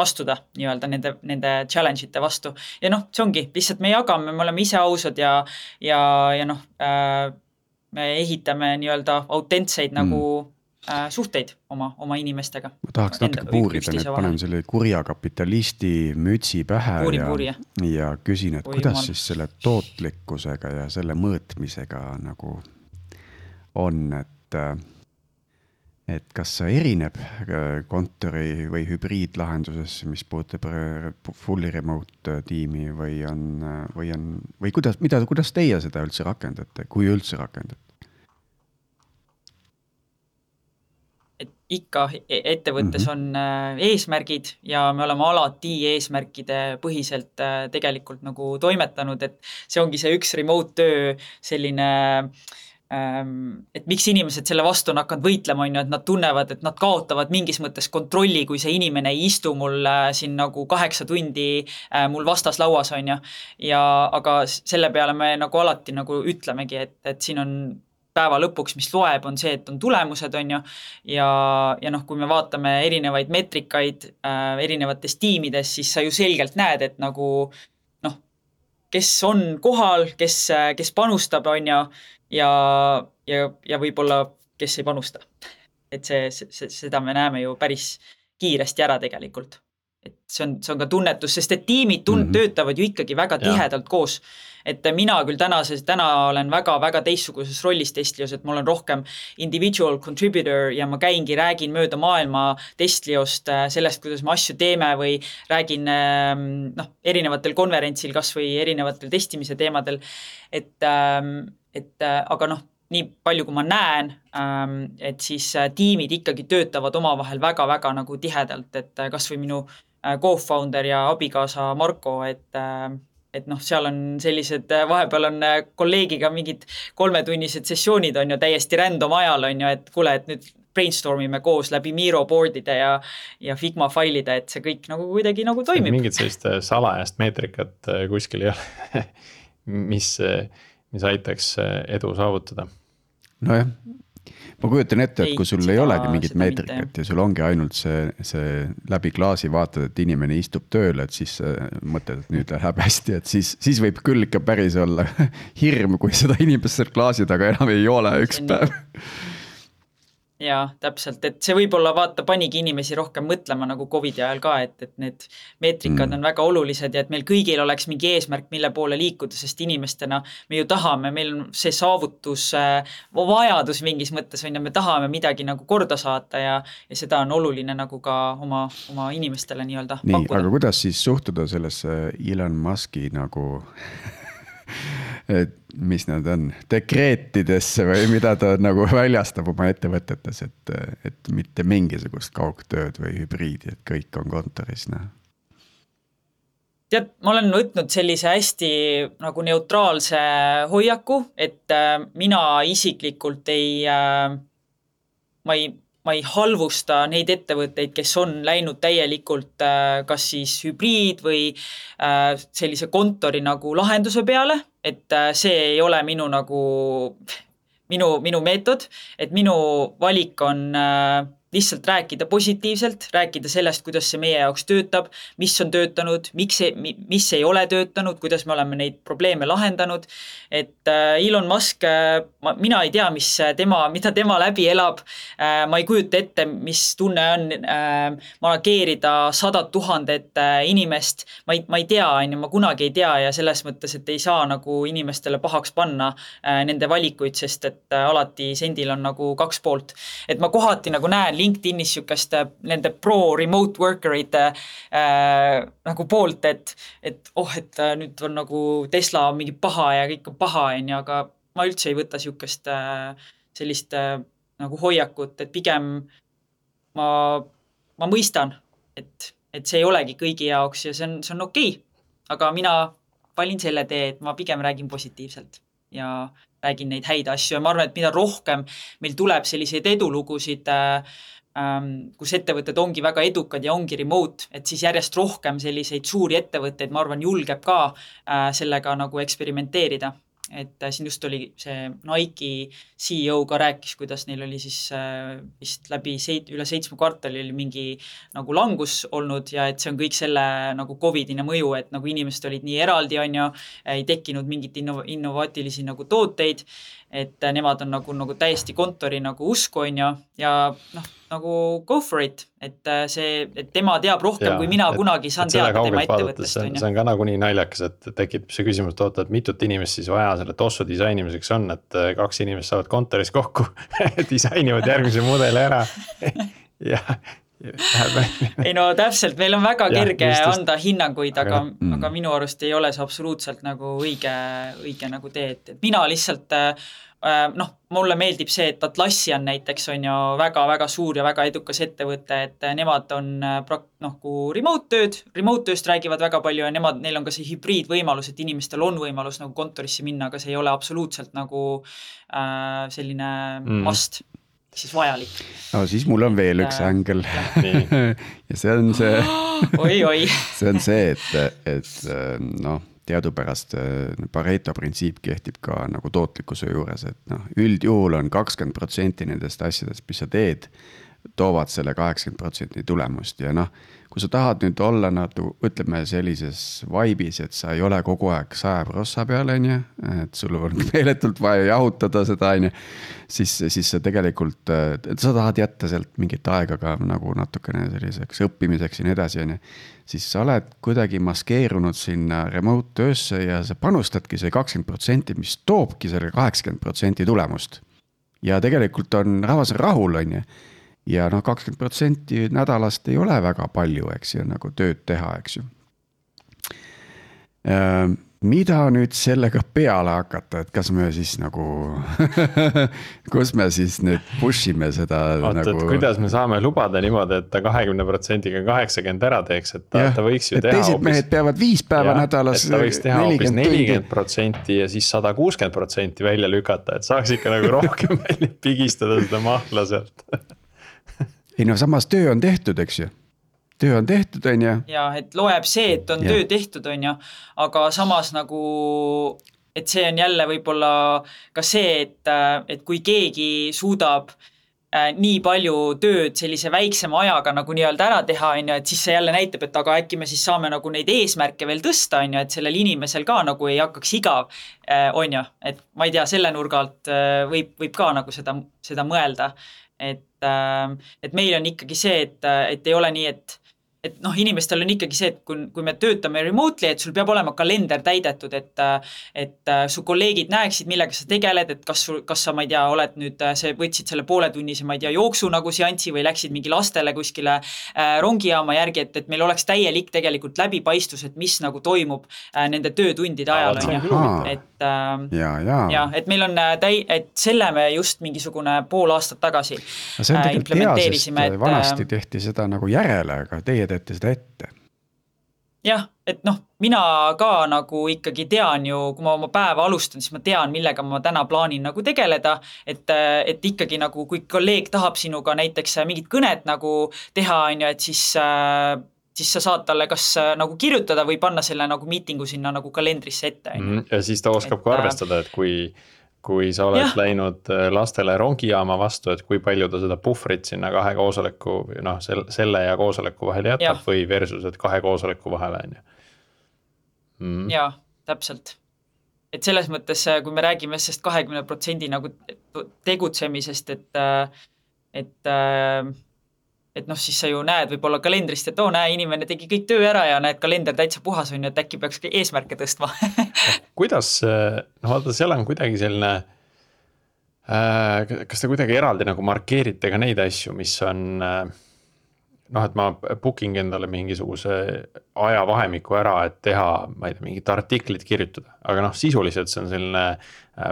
astuda nii-öelda nende challenge'ite vastu. Ja noh, see ongi, lihtsalt me jagame, me oleme ise ausad ja noh, me ehitame nii-öelda autentseid nagu suhteid oma inimestega. Ma tahaks natuke puurida, nüüd panen selle kurja kapitalisti mütsi pähe ja küsin, et kuidas siis selle tootlikkusega ja selle mõõtmisega nagu on, et kas see erineb kontori või hübriidlahenduses, mis puudutab fully remote tiimi või kuidas teie seda üldse rakendate, kui üldse rakendate? Et ikka ettevõttes on eesmärgid ja me oleme alati eesmärkide põhiselt tegelikult nagu toimetanud, et see ongi see üks remote töö selline et miks inimesed selle vastu on hakanud võitlema, on ju, et nad tunnevad, et nad kaotavad mingis mõttes kontrolli, kui see inimene ei istu mul siin nagu 8 tundi mul vastas lauas, on ju. Aga selle peale me nagu alati nagu ütlemegi, et siin on päeva lõpuks, mis loeb, on see, et on tulemused, on ju. Ja noh, kui me vaatame erinevaid metrikaid erinevates tiimides, siis sa ju selgelt näed, et nagu noh, kes on kohal, kes panustab, on ju, ja võib-olla kes ei panusta. Et seda me näeme ju päris kiiresti ära tegelikult. Et see on ka tunnetus, sest et tiimid töötavad ju ikkagi väga tihedalt koos. Et mina küll täna olen väga teistsuguses rollis Testlios, et ma olen rohkem individual contributor ja ma räägin mööda maailma Testliost sellest, kuidas me asju teeme või räägin erinevatel konverentsil kas või erinevatel testimise teemadel. Aga noh, nii palju kui ma näen, et siis tiimid ikkagi töötavad omavahel väga nagu tihedalt, et kas või minu co-founder ja abikaasa Marko, et et noh, seal on sellised, vahepeal on kolleegiga mingid 3-tunnised sessioonid on ju täiesti random ajal on ju, et kuule, et nüüd brainstormime koos läbi Miro boardide ja Figma failide, et see kõik nagu kuidagi nagu toimib. Mingit sellist salajast meetrikat kuskil ei ole, mis aitaks edu saavutada. Nojah, ma kujutan ette, et kui sul ei olegi mingit meetrikat mitte. ja sul ongi ainult see läbi klaasi vaatad, et inimene istub tööle, et siis mõtled, et nüüd läheb hästi, et siis võib küll ikka päris olla hirm, kui seda inimest seal klaasi taga enam ei ole üks päev. Jaa, täpselt, et see võib-olla panigi inimesi rohkem mõtlema nagu COVID ajal ka, et need meetrikad on väga olulised ja et meil kõigil oleks mingi eesmärk, mille poole liikuda, sest inimestena me ju tahame, meil on see saavutus, vajadus mingis mõttes on ja me tahame midagi nagu korda saata ja seda on oluline nagu ka oma inimestele nii-öelda pakkuda. Aga kuidas siis suhtuda sellesse Elon Muski nagu et mis nad on, dekreetidesse või mida ta nagu väljastab oma ettevõtetes, et mitte mingisugust kaugtööd või hübriidi, et kõik on kontoris. Tead, ma olen võtnud sellise hästi nagu neutraalse hoiaku, et mina isiklikult ma ei halvusta neid ettevõtteid, kes on läinud täielikult kas siis hübriid või sellise kontori nagu lahenduse peale, et see ei ole minu meetod, et minu valik on lihtsalt rääkida positiivselt, rääkida sellest, kuidas see meie jaoks töötab, mis on töötanud, mis ei ole töötanud, kuidas me oleme neid probleeme lahendanud. Et Elon Musk, mina ei tea, mida tema läbi elab. Ma ei kujuta ette, mis tunne on manageerida 100 000 inimest. Ma ei tea, ma kunagi ei tea ja selles mõttes, et ei saa nagu inimestele pahaks panna nende valikuid, sest et alati sendil on nagu 2 poolt. Et ma kohati nagu näen LinkedInis sükast nende pro-remote worker'ide nagu poolt, et nüüd on nagu Tesla on mingi paha ja kõik on paha, aga ma üldse ei võta sükast sellist nagu hoiakut, et pigem ma mõistan, et see ei olegi kõigi jaoks ja see on okei. Aga mina valin selle tee, et ma pigem räägin positiivselt ja räägin neid häid asju ja ma arvan, et mida rohkem meil tuleb selliseid edulugusid, kus ettevõtted ongi väga edukad ja ongi remote, et siis järjest rohkem selliseid suuri ettevõtteid, ma arvan, julgeb ka sellega nagu eksperimenteerida. Et siin just oli see Nike CEO ka rääkis, kuidas neil oli siis vist läbi üle 7 kvartali oli mingi nagu langus olnud ja et see on kõik selle nagu COVIDine mõju, et nagu inimesed olid nii eraldi on ju, ei tekkinud mingit innovaatilisi nagu tooteid, et nemad on nagu täiesti kontori nagu usku on ju ja nagu go for it, et tema teab rohkem, kui mina kunagi saan teada tema ettevõttest. See on ka nagu nii naljakas, et tekib see küsimus, et mitut inimest siis vaja selle tossu disainimiseks on, et 2 inimest saavad kontoris kokku, disainivad järgmise mudeli ära ja ei no täpselt, meil on väga kerge anda hinnanguid, aga minu arust ei ole see absoluutselt nagu õige nagu tee, et mina lihtsalt mulle meeldib see, et Atlassian näiteks on ju väga-väga suur ja väga edukas ettevõte, et nemad on kui remote tööst räägivad väga palju ja neil on ka see hübriidvõimalus, et inimestel on võimalus nagu kontorisse minna, aga see ei ole absoluutselt nagu selline must, siis vajalik. No siis mul on veel üks ängel ja see on see see on see, et teadupärast Pareto printsiip kehtib ka nagu tootlikkuse juures, et üldjuhul on 20% nendest asjadest, mis sa teed, toovad selle 80% tulemust ja kui sa tahad nüüd olla ütleme sellises vaibis, et sa ei ole kogu aeg 100% peal, et sul on meeletult vaja jahutada seda, siis sa tegelikult, sa tahad jätta sealt mingit aega ka nagu natukene selliseks õppimiseks ja nii edasi, siis sa oled kuidagi maskeerunud sinna remote töösse ja sa panustadki see 20%, mis toobki selle 80% tulemust. Ja tegelikult rahvas on rahul, ja 20% nädalast ei ole väga palju, eks ju, nagu tööd teha, eks ju. mida nüüd sellega peale hakata, et kas me siis nagu kus me siis nüüd push ime seda Vaata, nagu. kuidas me saame lubada niimoodi, et ta 20%-ga 80 ära teeks, et ta võiks ju teha teised mehed peavad 5 päeva nädalas. Ta võiks teha hoopis 40% ja siis 160% välja lükata, et saaks ikka nagu rohkem välja pigistada seda mahla sealt. Ei no samas töö on tehtud, eks ju. Töö on tehtud, on ju. Ja, et loeb see, et on töö tehtud, on ju, aga samas nagu, et see on jälle võib-olla ka see, et kui keegi suudab nii palju tööd sellise väiksema ajaga nagu nii-öelda ära teha, on ju, et siis see jälle näitab, et aga äkki me siis saame nagu neid eesmärke veel tõsta, on ju, et sellel inimesel ka nagu ei hakkaks igav, on ju, et ma ei tea, selle nurga alt võib ka nagu seda mõelda, et meil on ikkagi see, et ei ole nii, et noh, inimestel on ikkagi see, et kui me töötame remotely, et sul peab olema kalender täidetud, et su kolleegid näeksid, millega sa tegeled, et kas sa, ma ei tea, oled nüüd, võtsid selle pooletunnise, ma ei tea, jooksu nagu seansi või läksid mingi lastele kuskile rongijaama järgi, et meil oleks täielik tegelikult läbipaistus, et mis nagu toimub nende töötundide ajal, et meil on et selle me just mingisugune pool aastat tagasi implementeerisime. Vanasti tehti seda nagu järele, aga teie teete seda ette. Jah, et noh, mina ka nagu ikkagi tean ju, kui ma oma päeva alustan, siis ma tean, millega ma täna plaanin nagu tegeleda, et ikkagi nagu, kui kolleeg tahab sinuga näiteks mingit kõnet nagu teha, on ju, et siis sa saad talle kas nagu kirjutada või panna selle nagu miitingu sinna nagu kalendrisse ette. Ja siis ta oskab ka arvestada, et kui sa oled läinud lastele rongijaama vastu, et kui palju ta seda puhvrit sinna 2 koosoleku, noh, selle ja koosoleku vahel jätab või versus, et 2 koosoleku vahel on ju. Jaa, täpselt. Et selles mõttes, kui me räägime sest 20% nagu tegutsemisest, et noh, siis sa ju näed võib-olla kalendrist, et näe, inimene tegi kõik töö ära ja näed, kalender täitsa puhas on, et äkki peaks eesmärke tõstma. Kuidas, vaata, seal on kuidagi selline, kas te kuidagi eraldi nagu markeerite ka neid asju, mis on, et ma booking endale mingisuguse ajavahemiku ära, et teha, ma ei tea, mingit artiklit kirjutada, aga sisuliselt see on selline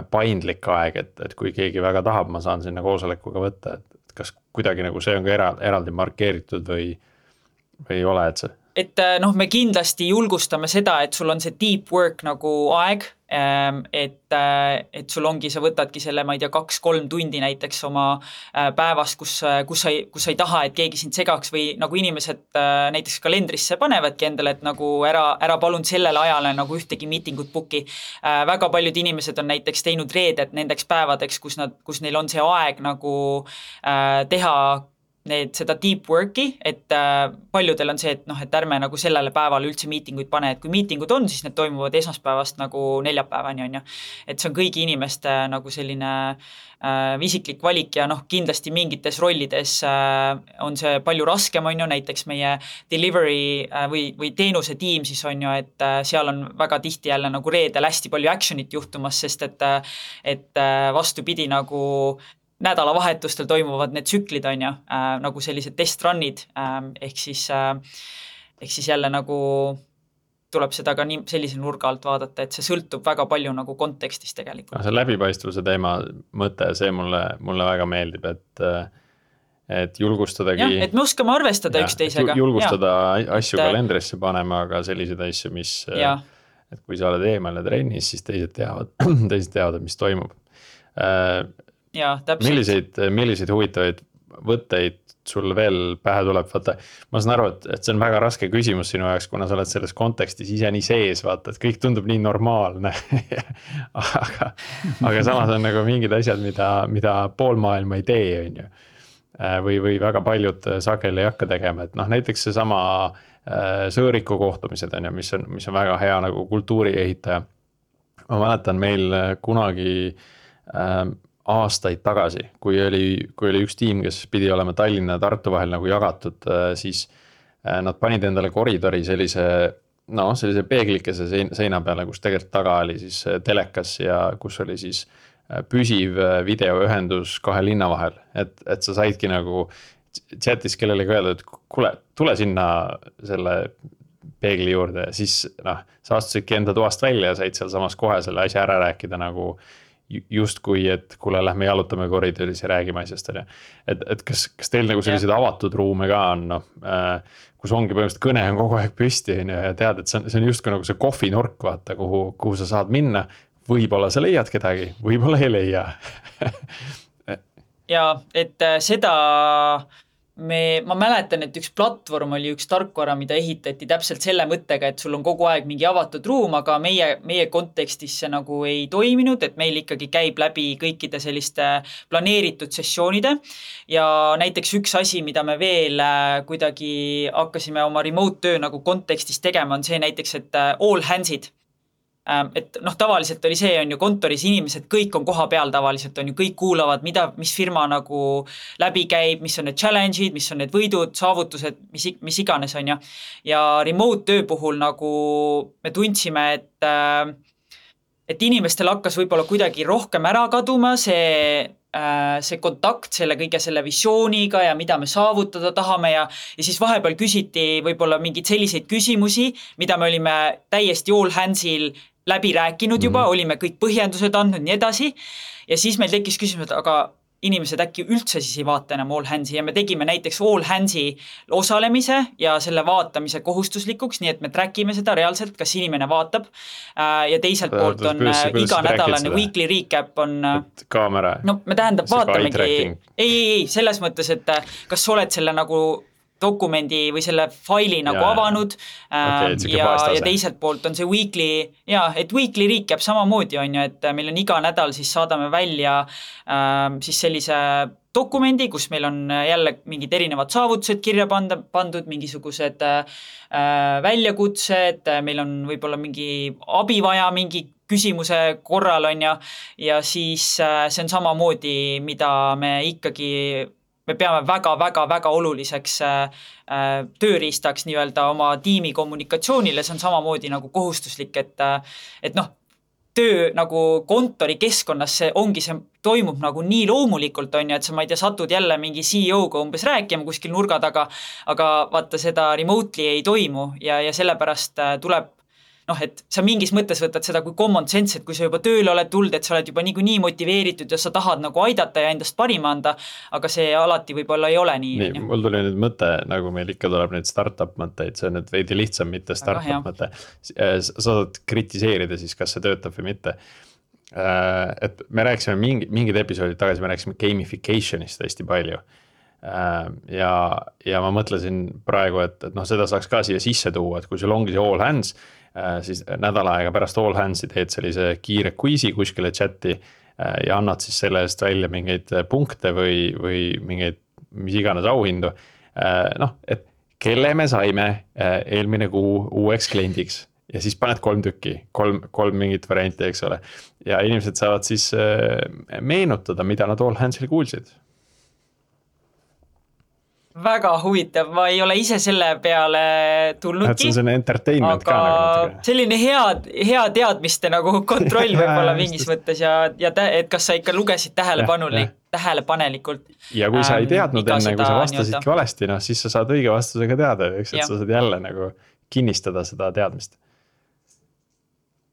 paindlik aeg, et kui keegi väga tahab, ma saan sinna koosolekuga võtta, et kas kuidagi nagu see on ka eraldi markeeritud või ei ole, et see? Et me kindlasti julgustame seda, et sul on see deep work nagu aeg, et sul ongi, sa võtadki selle, ma ei tea, 2-3 tundi näiteks oma päevast, kus sa ei taha, et keegi sind segaks või nagu inimesed näiteks kalendrisse panevadki endale, et nagu ära palun sellele ajale nagu ühtegi miitingut booki. Väga paljud inimesed on näiteks teinud reeded nendeks päevadeks, kus neil on see aeg nagu teha seda deep work'i, et paljudel on see, et ärme nagu sellele päevale üldse miitinguid pane, et kui miitingud on, siis need toimuvad esmaspäevast nagu neljapäevani, on ju. Et see on kõigi inimeste nagu selline isiklik valik ja kindlasti mingites rollides on see palju raskem, on ju, näiteks meie delivery või teenuse tiim siis on ju, et seal on väga tihti jälle nagu reedel hästi palju actionit juhtumas, sest et vastupidi nagu nädalavahetustel toimuvad need tsüklid on ju, nagu sellised testrun'id, ehk siis jälle nagu tuleb seda ka sellise nurga alt vaadata, et see sõltub väga palju nagu kontekstist tegelikult. See läbipaistvuse teema mõte, see mulle väga meeldib, et julgustadagi. Jah, et me oskame arvestada üksteisega. Julgustada asju kalendrisse panema, aga selliseid asju, et kui sa oled eemal ja trennis, siis teised teavad, mis toimub. Ja, milliseid huvitavaid võtteid sul veel pähe tuleb, vaata, ma saan aru, et see on väga raske küsimus sinu jaoks, kuna sa oled selles kontekstis ise nii sees, vaata, et kõik tundub nii normaalne, aga samas on nagu mingid asjad, mida pool maailma ei tee, on ju, või väga paljud sageli ei hakka tegema, et näiteks see sama sõõriku kohtumised, on ju, mis on väga hea nagu kultuuri ehitaja. Ma mäletan meil kunagi aastaid tagasi, kui oli üks tiim, kes pidi olema Tallinna ja Tartu vahel nagu jagatud, siis nad panid endale koridori sellise peeglikese seina peale, kus tegelikult taga oli siis telekas ja kus oli siis püsiv videoühendus 2 linna vahel, et sa saidki nagu chatis kellelegi öelda, et kuule, tule sinna selle peegli juurde ja siis noh, sa astusidki enda toast välja ja said seal samas kohe selle asja ära rääkida nagu justkui, et kuule, lähme jalutame koridoris ja räägime asjast, on ju. Et kas teil nagu selliseid avatud ruume ka on, noh, kus ongi põhimõtteliselt kõne on kogu aeg püsti, on ju, ja tead, et see on justkui nagu see kohvinurk, vaata, kuhu sa saad minna. Võib-olla sa leiad kedagi, võib-olla ei leia. Ja et seda ma mäletan, et üks platvorm oli üks tarkvara, mida ehitati täpselt selle mõttega, et sul on kogu aeg mingi avatud ruum, aga meie kontekstis see nagu ei toiminud, et meil ikkagi käib läbi kõikide selliste planeeritud sessioonide ja näiteks üks asi, mida me veel kuidagi hakkasime oma remote töö nagu kontekstis tegema, on see näiteks, et all hands'id. Et noh, tavaliselt oli see, on ju kontoris inimesed, kõik on koha peal tavaliselt, on ju, kõik kuulavad, mis firma nagu läbi käib, mis on need challenge'id, mis on need võidud, saavutused, mis iganes, on ju. Ja remote töö puhul nagu me tundsime, et inimestel hakkas võib-olla kuidagi rohkem ära kaduma see kontakt selle kõige selle visiooniga ja mida me saavutada tahame ja siis vahepeal küsiti võib-olla mingeid selliseid küsimusi, mida me olime täiesti all hands'il läbi rääkinud juba, olime kõik põhjendused andnud nii edasi ja siis meil tekkis küsimus, et aga inimesed äkki üldse siis ei vaata enam all hands'i ja me tegime näiteks all hands'i osalemise ja selle vaatamise kohustuslikuks, nii et me trackime seda reaalselt, kas inimene vaatab ja teiselt poolt on iganädalane weekly recap on kaamera. No me tähendab vaatamegi, ei, selles mõttes, et kas sa oled selle nagu dokumendi või selle faili nagu avanud ja teiselt poolt on see weekly recap samamoodi on ju, et meil on iga nädal siis saadame välja siis sellise dokumendi, kus meil on jälle mingid erinevad saavutused kirja pandud, mingisugused väljakutsed, meil on võib-olla mingi abi vaja mingi küsimuse korral on ja siis see on samamoodi, mida me peame väga oluliseks tööriistaks nii-öelda oma tiimi kommunikatsioonile, see on samamoodi nagu kohustuslik, et noh, töö nagu kontori keskkonnas see toimub nagu nii loomulikult on ju, et sa ma ei tea, satud jälle mingi CEO-ga umbes rääkima kuskil nurga taga, aga vaata seda remotely ei toimu ja sellepärast tuleb et sa mingis mõttes võtad seda kui common sense, et kui sa juba tööle oled tulnud, et sa oled juba nii motiveeritud ja sa tahad nagu aidata ja endast parima anda, aga see alati võib-olla ei ole nii. Nii, mul tuli nüüd mõte, nagu meil ikka tuleb nüüd startup mõtteid, see on nüüd veidi lihtsam, mitte startup mõte. Sa saad kritiseerida siis, kas see töötab või mitte. Et me rääkisime mingid episoodid tagasi, me rääkisime gamificationist hästi palju. Ja ma mõtlesin praegu, et seda saaks ka siia sisse tuua, et kui sul ongi see all hands, siis nädala aega pärast all hands'i teed sellise kiire quiz'i kuskile chati ja annad siis selle eest välja mingeid punkte või mingeid, mis iganes auhindu. Et kelle me saime eelmine kuu uueks kliendiks ja siis paned 3 tükki, kolm mingit varianti, eks ole. Ja inimesed saavad siis meenutada, mida nad all hands'il kuulsid. Väga huvitav, ma ei ole ise selle peale tulnudki. See on selline entertainment ka nagu. Selline hea teadmiste nagu kontroll võib-olla mingis mõttes ja et kas sa ikka lugesid tähelepanelikult. Ja kui sa ei teadnud enne, kui sa vastasidki valesti, siis sa saad õige vastusega teada, eks, et sa saad jälle nagu kinnistada seda teadmist.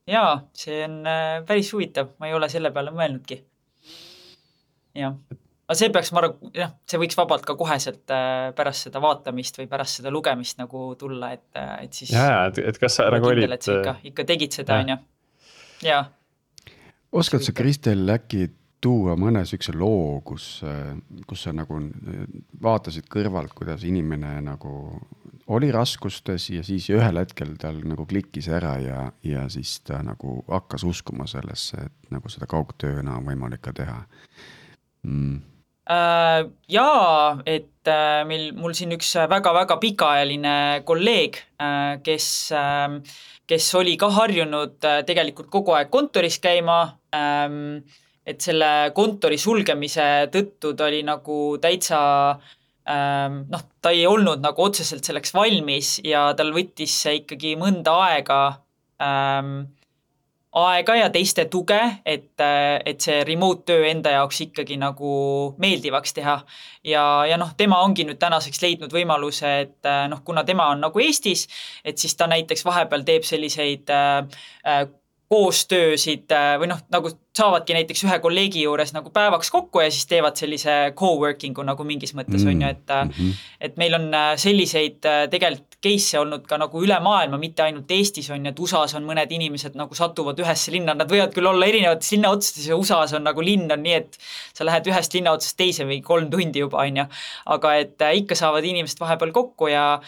Jaa, see on päris huvitav, ma ei ole selle peale mõelnudki. Jah. Aga see peaks, see võiks vabalt ka koheselt pärast seda vaatamist või pärast seda lugemist nagu tulla, et siis et kas sa nagu olid ikka tegid seda, on ju. Jaa. Oskad sa, Kristel, äkki tuua mõne sükse loo, kus sa nagu vaatasid kõrvalt, kuidas inimene nagu oli raskustes ja siis ühel hetkel tal nagu klikkis ära ja siis ta nagu hakkas uskuma sellesse, et nagu seda kaugtööna on võimalik ka teha. Jaa, et mul siin üks väga pikaajaline kolleeg, kes oli ka harjunud tegelikult kogu aeg kontoris käima, et selle kontori sulgemise tõttu ta oli nagu täitsa, ta ei olnud nagu otseselt selleks valmis ja tal võttis see ikkagi mõnda aega ja teiste tuge, et see remote töö enda jaoks ikkagi nagu meeldivaks teha. Ja noh, tema ongi nüüd tänaseks leidnud võimaluse, et noh, kuna tema on nagu Eestis, et siis ta näiteks vahepeal teeb selliseid koostöösid või noh, nagu saavadki näiteks ühe kolleegi juures nagu päevaks kokku ja siis teevad sellise co-working'u nagu mingis mõttes on ju, et meil on selliseid tegelikult case'e olnud ka nagu üle maailma, mitte ainult Eestis on ju, et USAs on mõned inimesed nagu satuvad ühesse linna, nad võivad küll olla erinevates linnaotsades ja USAs on nagu linn on nii, et sa lähed ühest linnaotsast teise või 3 tundi juba on ju, aga et ikka saavad inimesed vahepeal kokku ja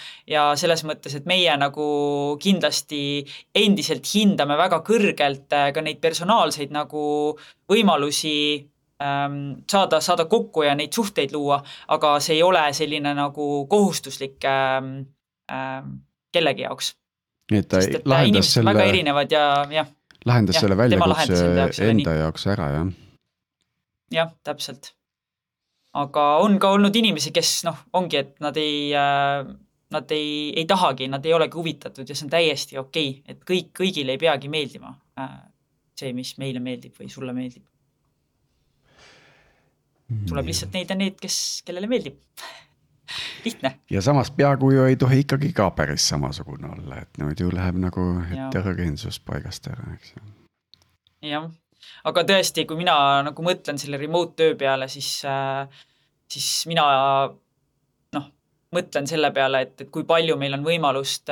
selles mõttes, et meie nagu kindlasti endiselt hindame väga kõrgelt ka neid personaalseid nagu võimalusi saada kokku ja neid suhteid luua, aga see ei ole selline nagu kohustuslik kellegi jaoks. Nii et ta sest et lahendas inimesed on väga erinevad ja lahendas selle väljakutse jaoks enda jaoks ära, jah? Jah, täpselt. Aga on ka olnud inimesi, kes noh, ongi, et nad ei tahagi, nad ei olegi huvitatud ja see on täiesti okei, et kõigile ei peagi meeldima see, mis meile meeldib või sulle meeldib. Tuleb lihtsalt neid, kellele meeldib. Lihtne. Ja samas peakuju ei tohi ikkagi ka päris samasugune olla, et nüüd ju läheb nagu heterogeensus paigast ära, eks ju. Jah, aga tõesti, kui mina nagu mõtlen selle remote töö peale, siis mina mõtlen selle peale, et kui palju meil on võimalust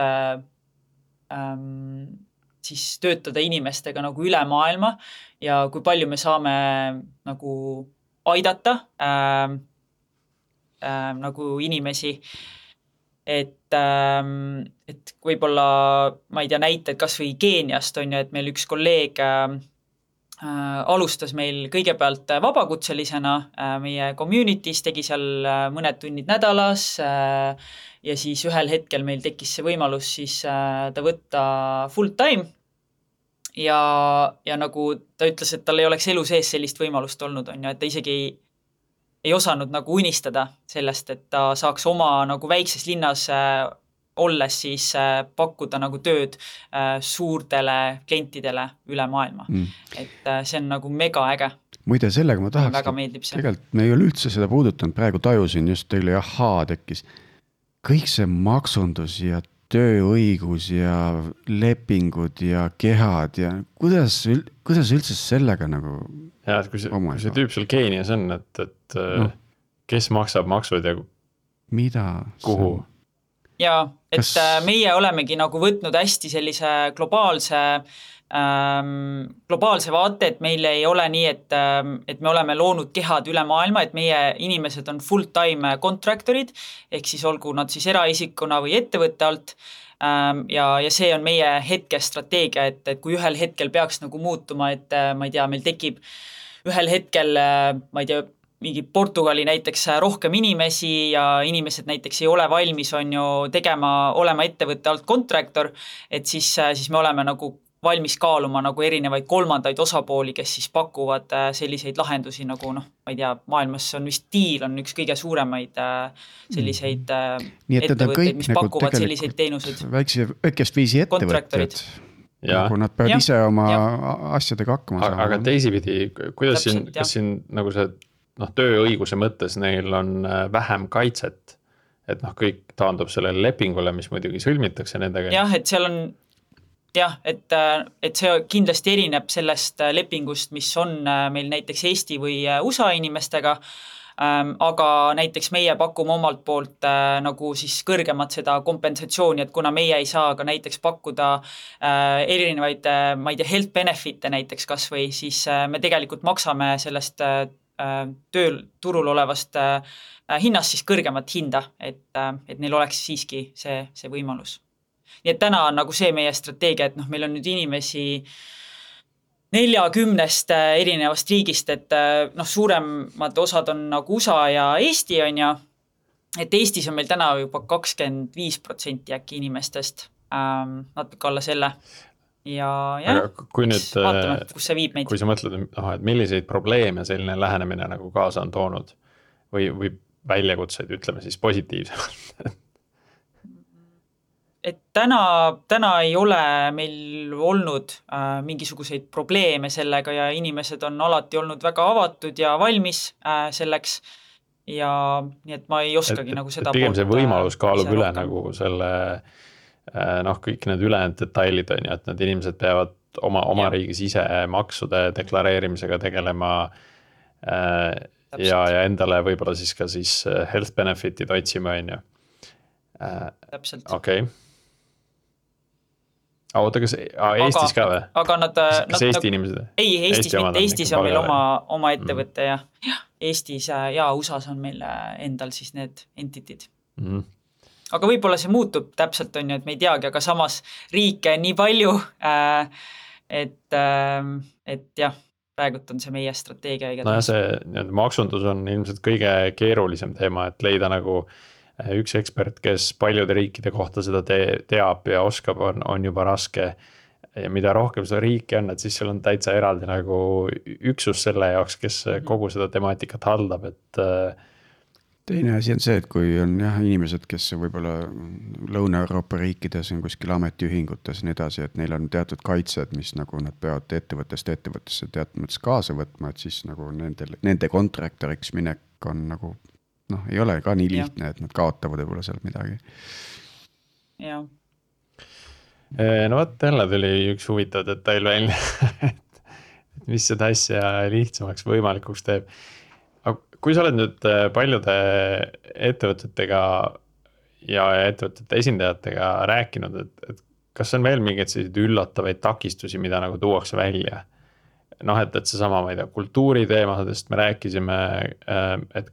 siis töötada inimestega nagu üle maailma ja kui palju me saame nagu aidata nagu inimesi, et võib-olla, ma ei tea, näited kas või Keeniast on ju, et meil üks kolleeg alustas meil kõigepealt vabakutselisena meie community's, tegi seal mõned tunnid nädalas ja siis ühel hetkel meil tekkis see võimalus siis ta võtta full time ja nagu ta ütles, et tal ei oleks elu sees sellist võimalust olnud, on ju, et ta isegi ei osanud nagu unistada sellest, et ta saaks oma nagu väikses linnas olles siis pakkuda nagu tööd suurtele klientidele üle maailma. Et see on nagu mega äge. Muide, sellega ma tahaks, tegelikult me ei ole üldse seda puudutanud, praegu tajusin just teile tekkis. Kõik see maksundus ja tööõigus ja lepingud ja kehad ja kuidas üldse sellega nagu ja, et kui see tüüp seal Keenias on, et kes maksab maksud ja mida kuhu? Ja, et meie olemegi nagu võtnud hästi sellise globaalse vaate, et meil ei ole nii, et me oleme loonud kehad üle maailma, et meie inimesed on full-time contractorid, ehk siis olgu nad siis eraisikuna või ettevõtte alt, ja see on meie hetkestrateegia, et kui ühel hetkel peaks nagu muutuma, et ma ei tea, meil tekib ühel hetkel, ma ei tea, mingi Portugali näiteks rohkem inimesi ja inimesed näiteks ei ole valmis on ju olema ettevõtte alt contractor, et siis me oleme nagu valmis kaaluma nagu erinevaid kolmandaid osapooli, kes siis pakuvad selliseid lahendusi nagu noh, ma ei tea, maailmas on vist Deal on üks kõige suuremaid selliseid ettevõtteid, mis pakuvad nagu selliseid teenuseid. Väikest viisi ettevõtted. Nagu nad peavad ise oma asjadega hakkama saama. Aga teisipidi, kuidas kas siin nagu see tööõiguse mõttes neil on vähem kaitset, et kõik taandub sellele lepingule, mis muidugi sõlmitakse nendega. Jah, et seal on et see kindlasti erineb sellest lepingust, mis on meil näiteks Eesti või USA inimestega, aga näiteks meie pakume omalt poolt nagu siis kõrgemat seda kompensatsiooni, et kuna meie ei saa ka näiteks pakkuda erinevaid, ma ei tea, health benefit'e näiteks kas või, siis me tegelikult maksame sellest turul olevast hinnast siis kõrgemat hinda, et neil oleks siiski see võimalus. Nii et täna on nagu see meie strateegia, et meil on nüüd inimesi 40 erinevast riigist, et suuremad osad on nagu USA ja Eesti on ja, et Eestis on meil täna juba 25% äkki inimestest, natuke alla selle. Ja kui nüüd, vaatame, kus see viib meid. Kui sa mõtled, et milliseid probleeme selline lähenemine nagu kaasa on toonud või väljakutseid, ütleme siis positiivsemalt? et täna ei ole meil olnud mingisuguseid probleeme sellega ja inimesed on alati olnud väga avatud ja valmis selleks ja nii, et ma ei oskagi nagu seda pigem see võimalus kaalub üle rohkem. nagu selle kõik need ülejäänud detailid on ju, et need inimesed peavad oma riigis ise maksude deklareerimisega tegelema ja endale võib-olla siis ka health benefit'id otsima on ju. Täpselt. Okei. Oota, kas Eestis ka või? Aga kas Eesti inimesed? Ei, Eestis mitte. Eestis on meil oma ettevõte ja Eestis ja USAs on meil endal siis need entitid. Aga võib-olla see muutub täpselt on ju, et me ei teagi, aga samas riike nii palju, et jah, praegult on see meie strateegia. No ja see maksundus on ilmselt kõige keerulisem teema, et leida nagu üks ekspert, kes paljude riikide kohta seda teab ja oskab, on juba raske. Ja mida rohkem seda riiki on, et siis seal on täitsa eraldi nagu üksus selle jaoks, kes kogu seda temaatikat haldab, et teine asi on see, et kui on inimesed, kes võib-olla Lõuna-Euroopa riikides on kuskil ametiühingutes nii edasi, et neil on teatud kaitsed, mis nagu nad peavad ettevõttesse teatud mõttes kaasa võtma, et siis nagu nende kontraktoriks minek on nagu ei ole ka nii lihtne, et nad kaotavad võib-olla seal midagi. Jah. No võt, jälle tuli üks huvitav detail välja, et mis seda asja lihtsamaks võimalikuks teeb. Aga kui sa oled nüüd paljude ettevõtetega ja ettevõtete esindajatega rääkinud, et kas on veel mingeid selliseid üllatavaid takistusi, mida nagu tuuakse välja? Et see sama, ma ei tea, kultuuri teemadest me rääkisime, et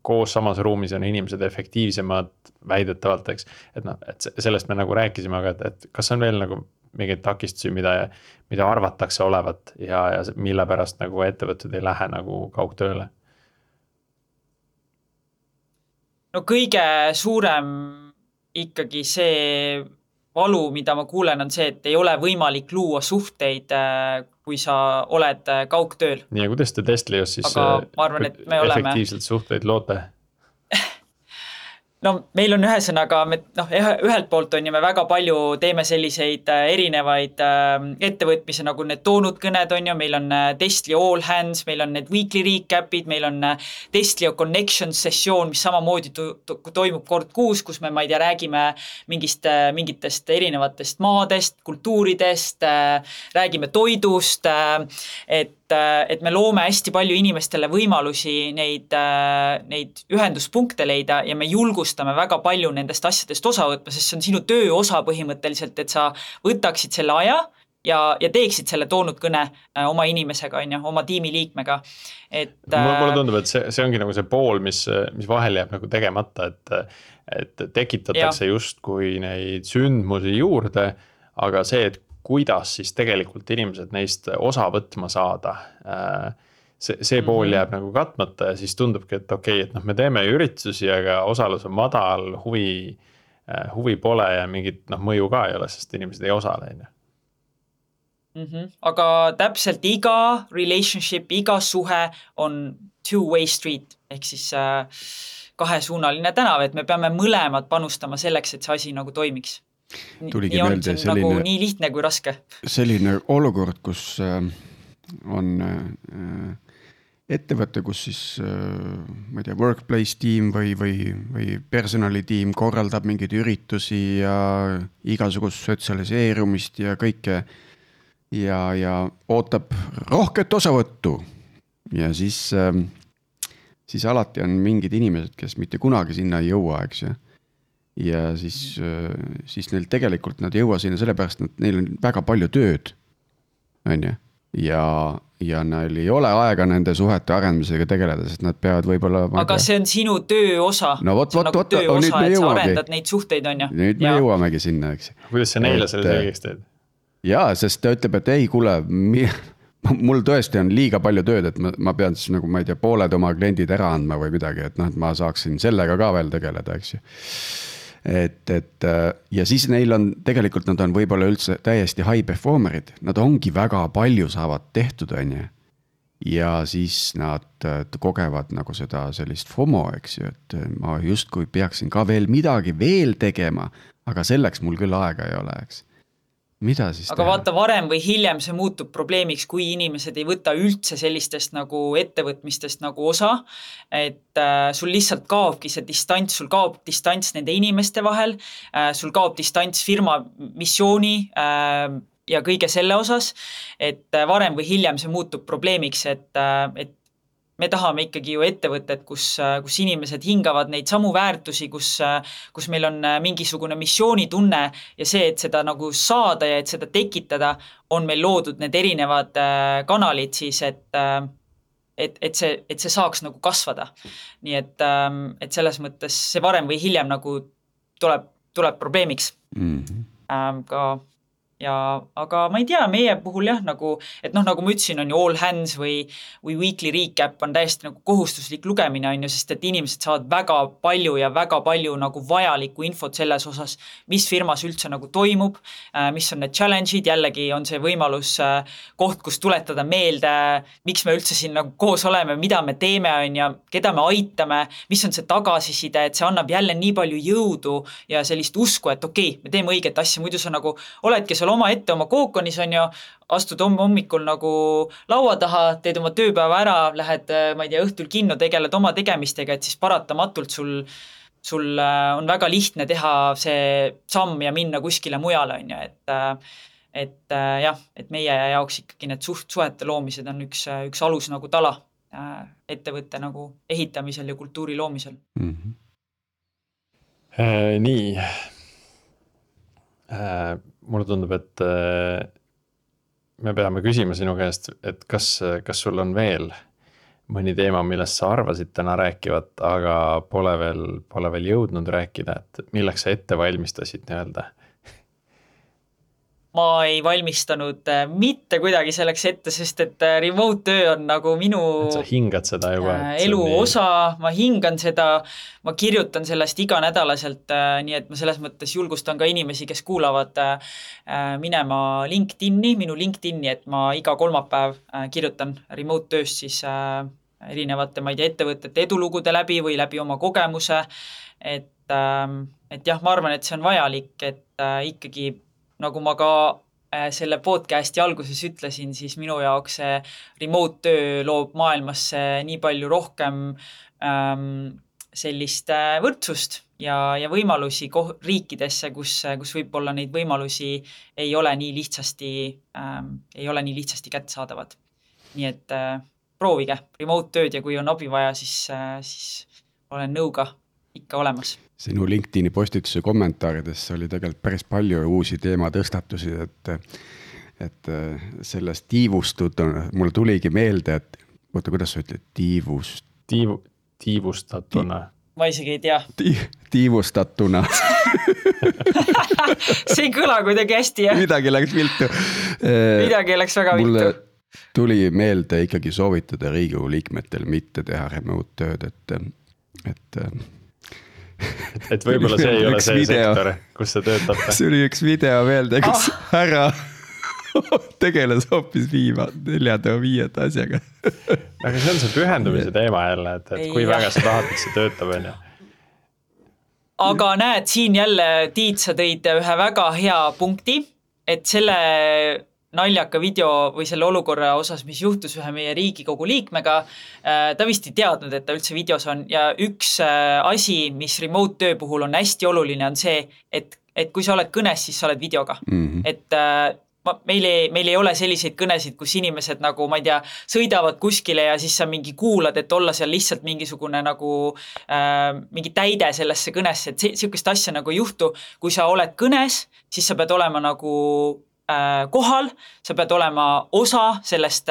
koos samas ruumis on inimesed efektiivsemad väidetavalt, eks. Et sellest me nagu rääkisime, aga et kas on veel nagu mingeid takistusi, mida arvatakse olevat ja mille pärast nagu ettevõtted ei lähe nagu kaugtööle? No kõige suurem ikkagi see valu, mida ma kuulen, on see, et ei ole võimalik luua suhteid, kui sa oled kaugtööl. Nii, ja kuidas te Testlaios siis efektiivselt suhteid loote? No meil on ühesõnaga, ühelt poolt on ju me väga palju teeme selliseid erinevaid ettevõtmisi, nagu need toonud kõned on ju, meil on Testlio All Hands, meil on need weekly recap'id, meil on Testlio Connections sessioon, mis samamoodi toimub kord kuus, kus me, ma ei tea, räägime mingitest erinevatest maadest, kultuuridest, räägime toidust, et me loome hästi palju inimestele võimalusi neid ühenduspunkte leida ja me julgustame väga palju nendest asjadest osa võtma, sest see on sinu töö osa põhimõtteliselt, et sa võtaksid selle aja ja teeksid selle toonud kõne oma inimesega, oma tiimiliikmega. Mulle tundub, et see ongi nagu see pool, mis vahel jääb nagu tegemata, et tekitatakse just kui neid sündmusi juurde, aga see, et kuidas siis tegelikult inimesed neist osa võtma saada. See pool jääb nagu katmata ja siis tundubki, et okei, et me teeme üritusi, aga osalus on madal, huvi pole ja mingit mõju ka ei ole, sest inimesed ei osale. Aga täpselt iga relationship, iga suhe on two-way street, ehk siis kahesuunaline tänav, et me peame mõlemad panustama selleks, et see asi nagu toimiks. Tuligi meelde selline, nagu nii lihtne kui raske. Selline olukord, kus on ettevõte, kus siis ma ei tea, workplace tiim või personalitiim korraldab mingeid üritusi ja igasugust sotsialiseerumist ja kõike ja ootab rohket osavõttu ja siis alati on mingid inimesed, kes mitte kunagi sinna ei jõua, eks ju. Ja siis neil tegelikult nad ei jõua sinna sellepärast, et neil on väga palju tööd, on ju. Ja neil ei ole aega nende suhete arendamisega tegeleda, sest nad peavad võib-olla... Aga see on sinu töö osa. No vot, töö osa, et sa arendad neid suhteid, on ju. Nüüd me jõuamegi sinna, eks. Kuidas sa neile selle selgeks teed? Jaa, sest ta ütleb, et ei, kuule, mul tõesti on liiga palju tööd, et ma pean siis nagu, ma ei tea, pooled oma kliendid ära andma või midagi, et ma saaksin sellega ka veel tegeleda, eks ju. Ja siis neil on, tegelikult nad on võib-olla üldse täiesti high performerid, nad ongi väga palju saavad tehtud, on ju. Ja siis nad kogevad nagu seda sellist FOMO, eks ju, et ma justkui peaksin ka veel midagi veel tegema, aga selleks mul küll aega ei ole, eks. Mida siis aga vaata, varem või hiljem see muutub probleemiks, kui inimesed ei võta üldse sellistest nagu ettevõtmistest nagu osa, et sul lihtsalt kaobki see distants, sul kaob distants nende inimeste vahel, sul kaob distants firma missiooni ja kõige selle osas, et varem või hiljem see muutub probleemiks, et me tahame ikkagi ju ettevõtted, kus inimesed hingavad neid samu väärtusi, kus meil on mingisugune missioonitunne ja see, et seda nagu saada ja et seda tekitada, on meil loodud need erinevad kanalid siis, et see saaks nagu kasvada. Nii et selles mõttes see varem või hiljem nagu tuleb probleemiks ka. Aga ma ei tea, meie puhul jah, nagu ma ütlesin, on ju All Hands või Weekly Recap on täiesti nagu kohustuslik lugemine, on ju, sest et inimesed saavad väga palju nagu vajalikku infot selles osas, mis firmas üldse nagu toimub, mis on need challenge'id, jällegi on see võimalus koht, kus tuletada meelde, miks me üldse siin nagu koos oleme, mida me teeme, on ja keda me aitame, mis on see tagasiside, et see annab jälle nii palju jõudu ja sellist usku, et okei, me teeme õiget asja, muidu sa nagu oledki seal oma ette oma kookonis, on ju, astud hommikul nagu laua taha, teed oma tööpäeva ära, lähed, ma ei tea, õhtul kinno, tegeled oma tegemistega, et siis paratamatult sul on väga lihtne teha see samm ja minna kuskile mujale, on ju, et jah, et meie jaoks ikkagi need suhete loomised on üks alus nagu tala ettevõtte nagu ehitamisel ja kultuuri loomisel. Nii. Mulle tundub, et me peame küsima sinu käest, et kas sul on veel mõni teema, millest sa arvasid täna rääkivat, aga pole veel jõudnud rääkida, et milleks sa ette valmistasid nii-öelda? Ma ei valmistanud mitte kuidagi selleks ette, sest et remote töö on nagu minu sa hingad seda juba, elu osa, ma hingan seda, ma kirjutan sellest iganädalaselt, nii et ma selles mõttes julgustan ka inimesi, kes kuulavad minema minu LinkedIn'i, et ma iga kolmapäev kirjutan remote tööst siis erinevate, ma ei tea, ettevõtete edulugude läbi või läbi oma kogemuse, et jah, ma arvan, et see on vajalik, et ikkagi nagu ma ka selle podcasti alguses ütlesin, siis minu jaoks see remote töö loob maailmasse nii palju rohkem sellist võrdsust ja võimalusi riikidesse, kus võib-olla neid võimalusi ei ole nii lihtsasti kättesaadavad. Nii et proovige remote tööd ja kui on abi vaja, siis olen nõuga ikka olemas. Sinu LinkedIni postituse kommentaarides oli tegelikult päris palju uusi teema tõstatusi, et sellest tiivustud, mulle tuligi meelde, et kuidas sa ütled, tiivustatuna? Ma isegi ei tea. Tiivustatuna. See ei kõla kuidagi hästi, jah? Midagi läks viltu. Midagi läks väga viltu. Mulle tuli meelde ikkagi soovitada Riigikogu liikmetel mitte teha remote tööd, et võib-olla see ei ole see sektor, kus sa töötab. See oli üks video meelde, kus härra tegeles hoopis 4-5 asjaga. Aga see on see pühendumise teema jälle, et kui väga sa tahad, et see töötab, on ju. Aga näed, siin jälle Tiit, sa tõid ühe väga hea punkti, et selle naljaka video või selle olukorra osas, mis juhtus ühe meie Riigikogu liikmega, ta vist ei teadnud, et ta üldse videos on ja üks asi, mis remote töö puhul on hästi oluline, on see, et kui sa oled kõnes, siis sa oled videoga. Et meil ei ole selliseid kõnesid, kus inimesed nagu, ma ei tea, sõidavad kuskile ja siis sa mingi kuulad, et olla seal lihtsalt mingisugune nagu mingi täide sellesse kõnesse, et sellist asja nagu juhtu. Kui sa oled kõnes, siis sa pead olema nagu kohal, sa pead olema osa sellest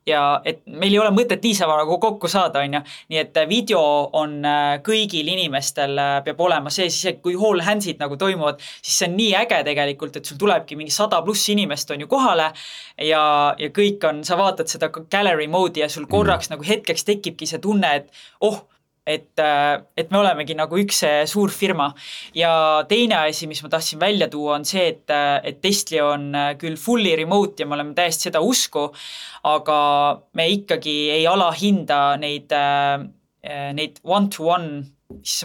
ja et meil ei ole mõtet niisama nagu kokku saada, on ju. Nii et video on kõigil inimestel peab olema see, siis kui All Handsid nagu toimuvad, siis see on nii äge tegelikult, et sul tulebki mingi 100+ inimest on ju kohale ja kõik on, sa vaatad seda gallery mode'i ja sul korraks nagu hetkeks tekibki see tunne, et me olemegi nagu üks suur firma. Ja teine asi, mis ma tahtsin välja tuua, on see, et Testli on küll fully remote ja me oleme täiesti seda usku, aga me ikkagi ei alahinda neid one-to-one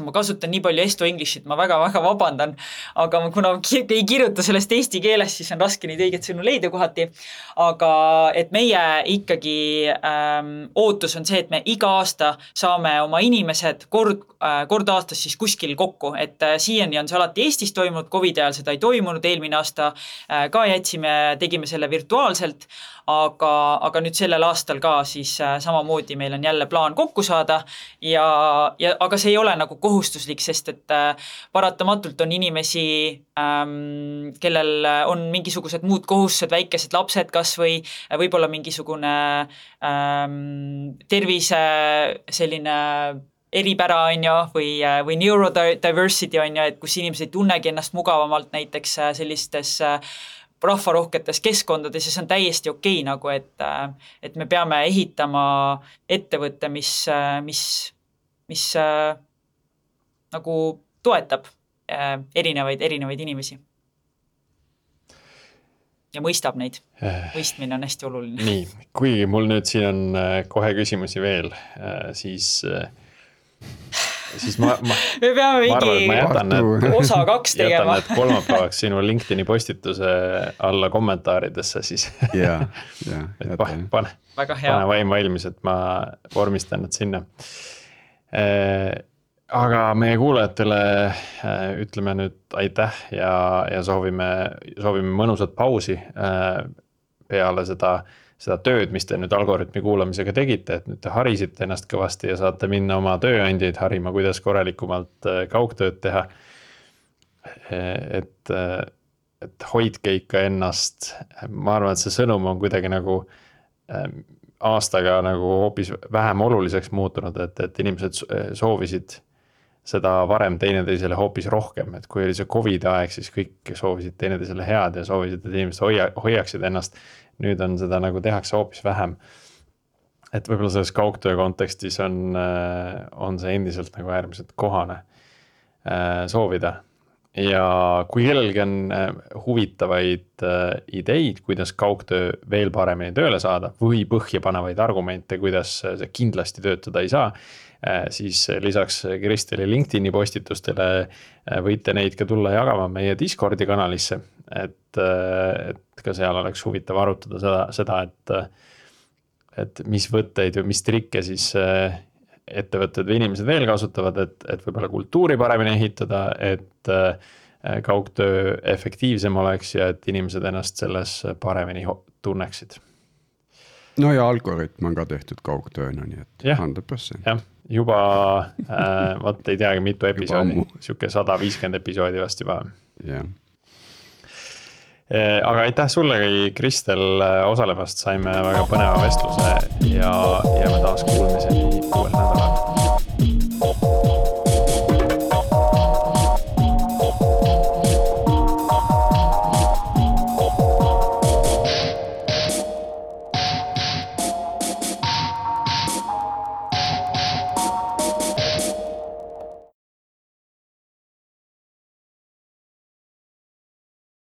ma kasutan nii palju Esto Englishit, ma väga-väga vabandan, aga kuna ei kirjuta sellest eesti keeles, siis on raske neid õiget sõnu leida kohati. Aga et meie ikkagi ootus on see, et me iga aasta saame oma inimesed kord aastas siis kuskil kokku, et siiani on see alati Eestis toimunud, COVID ajal seda ei toimunud, eelmine aasta ka tegime selle virtuaalselt, aga nüüd sellel aastal ka siis samamoodi meil on jälle plaan kokku saada aga see ei ole nagu kohustuslik, sest et paratamatult on inimesi, kellel on mingisugused muud kohustused, väikesed lapsed kas või võib-olla mingisugune tervise selline eripära on ju, või neurodiversity on ju, et kus inimesed ei tunnegi ennast mugavamalt näiteks sellistes rahvarohketes keskkondades ja see on täiesti okei nagu, et me peame ehitama ettevõtte, mis nagu toetab erinevaid inimesi. Ja mõistab neid. Mõistmine on hästi oluline. Nii, kuigi mul nüüd siin on kohe küsimusi veel, siis me peame mingi osa 2 tegema. Jätan need kolmapäevaks sinu LinkedIni postituse alla kommentaaridesse siis. Pane vaim valmis, et ma vormistan need sinna. Aga meie kuulajatele ütleme nüüd aitäh ja soovime mõnusat pausi peale seda tööd, mis te nüüd algoritmi kuulamisega tegite, et nüüd te harisite ennast kõvasti ja saate minna oma tööandjaid harima, kuidas korralikumalt kaugtööd teha. Et hoidke ikka ennast. Ma arvan, et see sõnum on kuidagi nagu aastaga nagu hoopis vähem oluliseks muutunud, et inimesed soovisid seda varem teineteisele hoopis rohkem, et kui oli see COVID aeg, siis kõik soovisid teineteisele head ja soovisid, et inimesed hoiaksid ennast. Nüüd on seda nagu tehakse hoopis vähem. Et võib-olla selles kaugtöö kontekstis on see endiselt nagu äärmiselt kohane soovida. Ja kui kellelgi on huvitavaid ideid, kuidas kaugtöö veel paremini tööle saada või põhjapanevaid argumente, kuidas see kindlasti töötada ei saa, siis lisaks Kristeli LinkedIni postitustele võite neid ka tulla jagama meie Discordi kanalisse, et ka seal oleks huvitav arutada seda, et mis võtteid või mis trikke siis ettevõtted või inimesed veel kasutavad, et võib-olla kultuuri paremini ehitada, et kaugtöö efektiivsem oleks ja et inimesed ennast selles paremini tunneksid. No ja algoritm on ka tehtud kaugtööna, nii et 100%. Jah, juba vaat ei teagi mitu episoodi, siuke 150 episoodi vast juba. Jah. Aga aitäh sullegi, Kristel, osalemast, saime väga põneva vestluse ja me taas kuulmiseni uuel nädalal.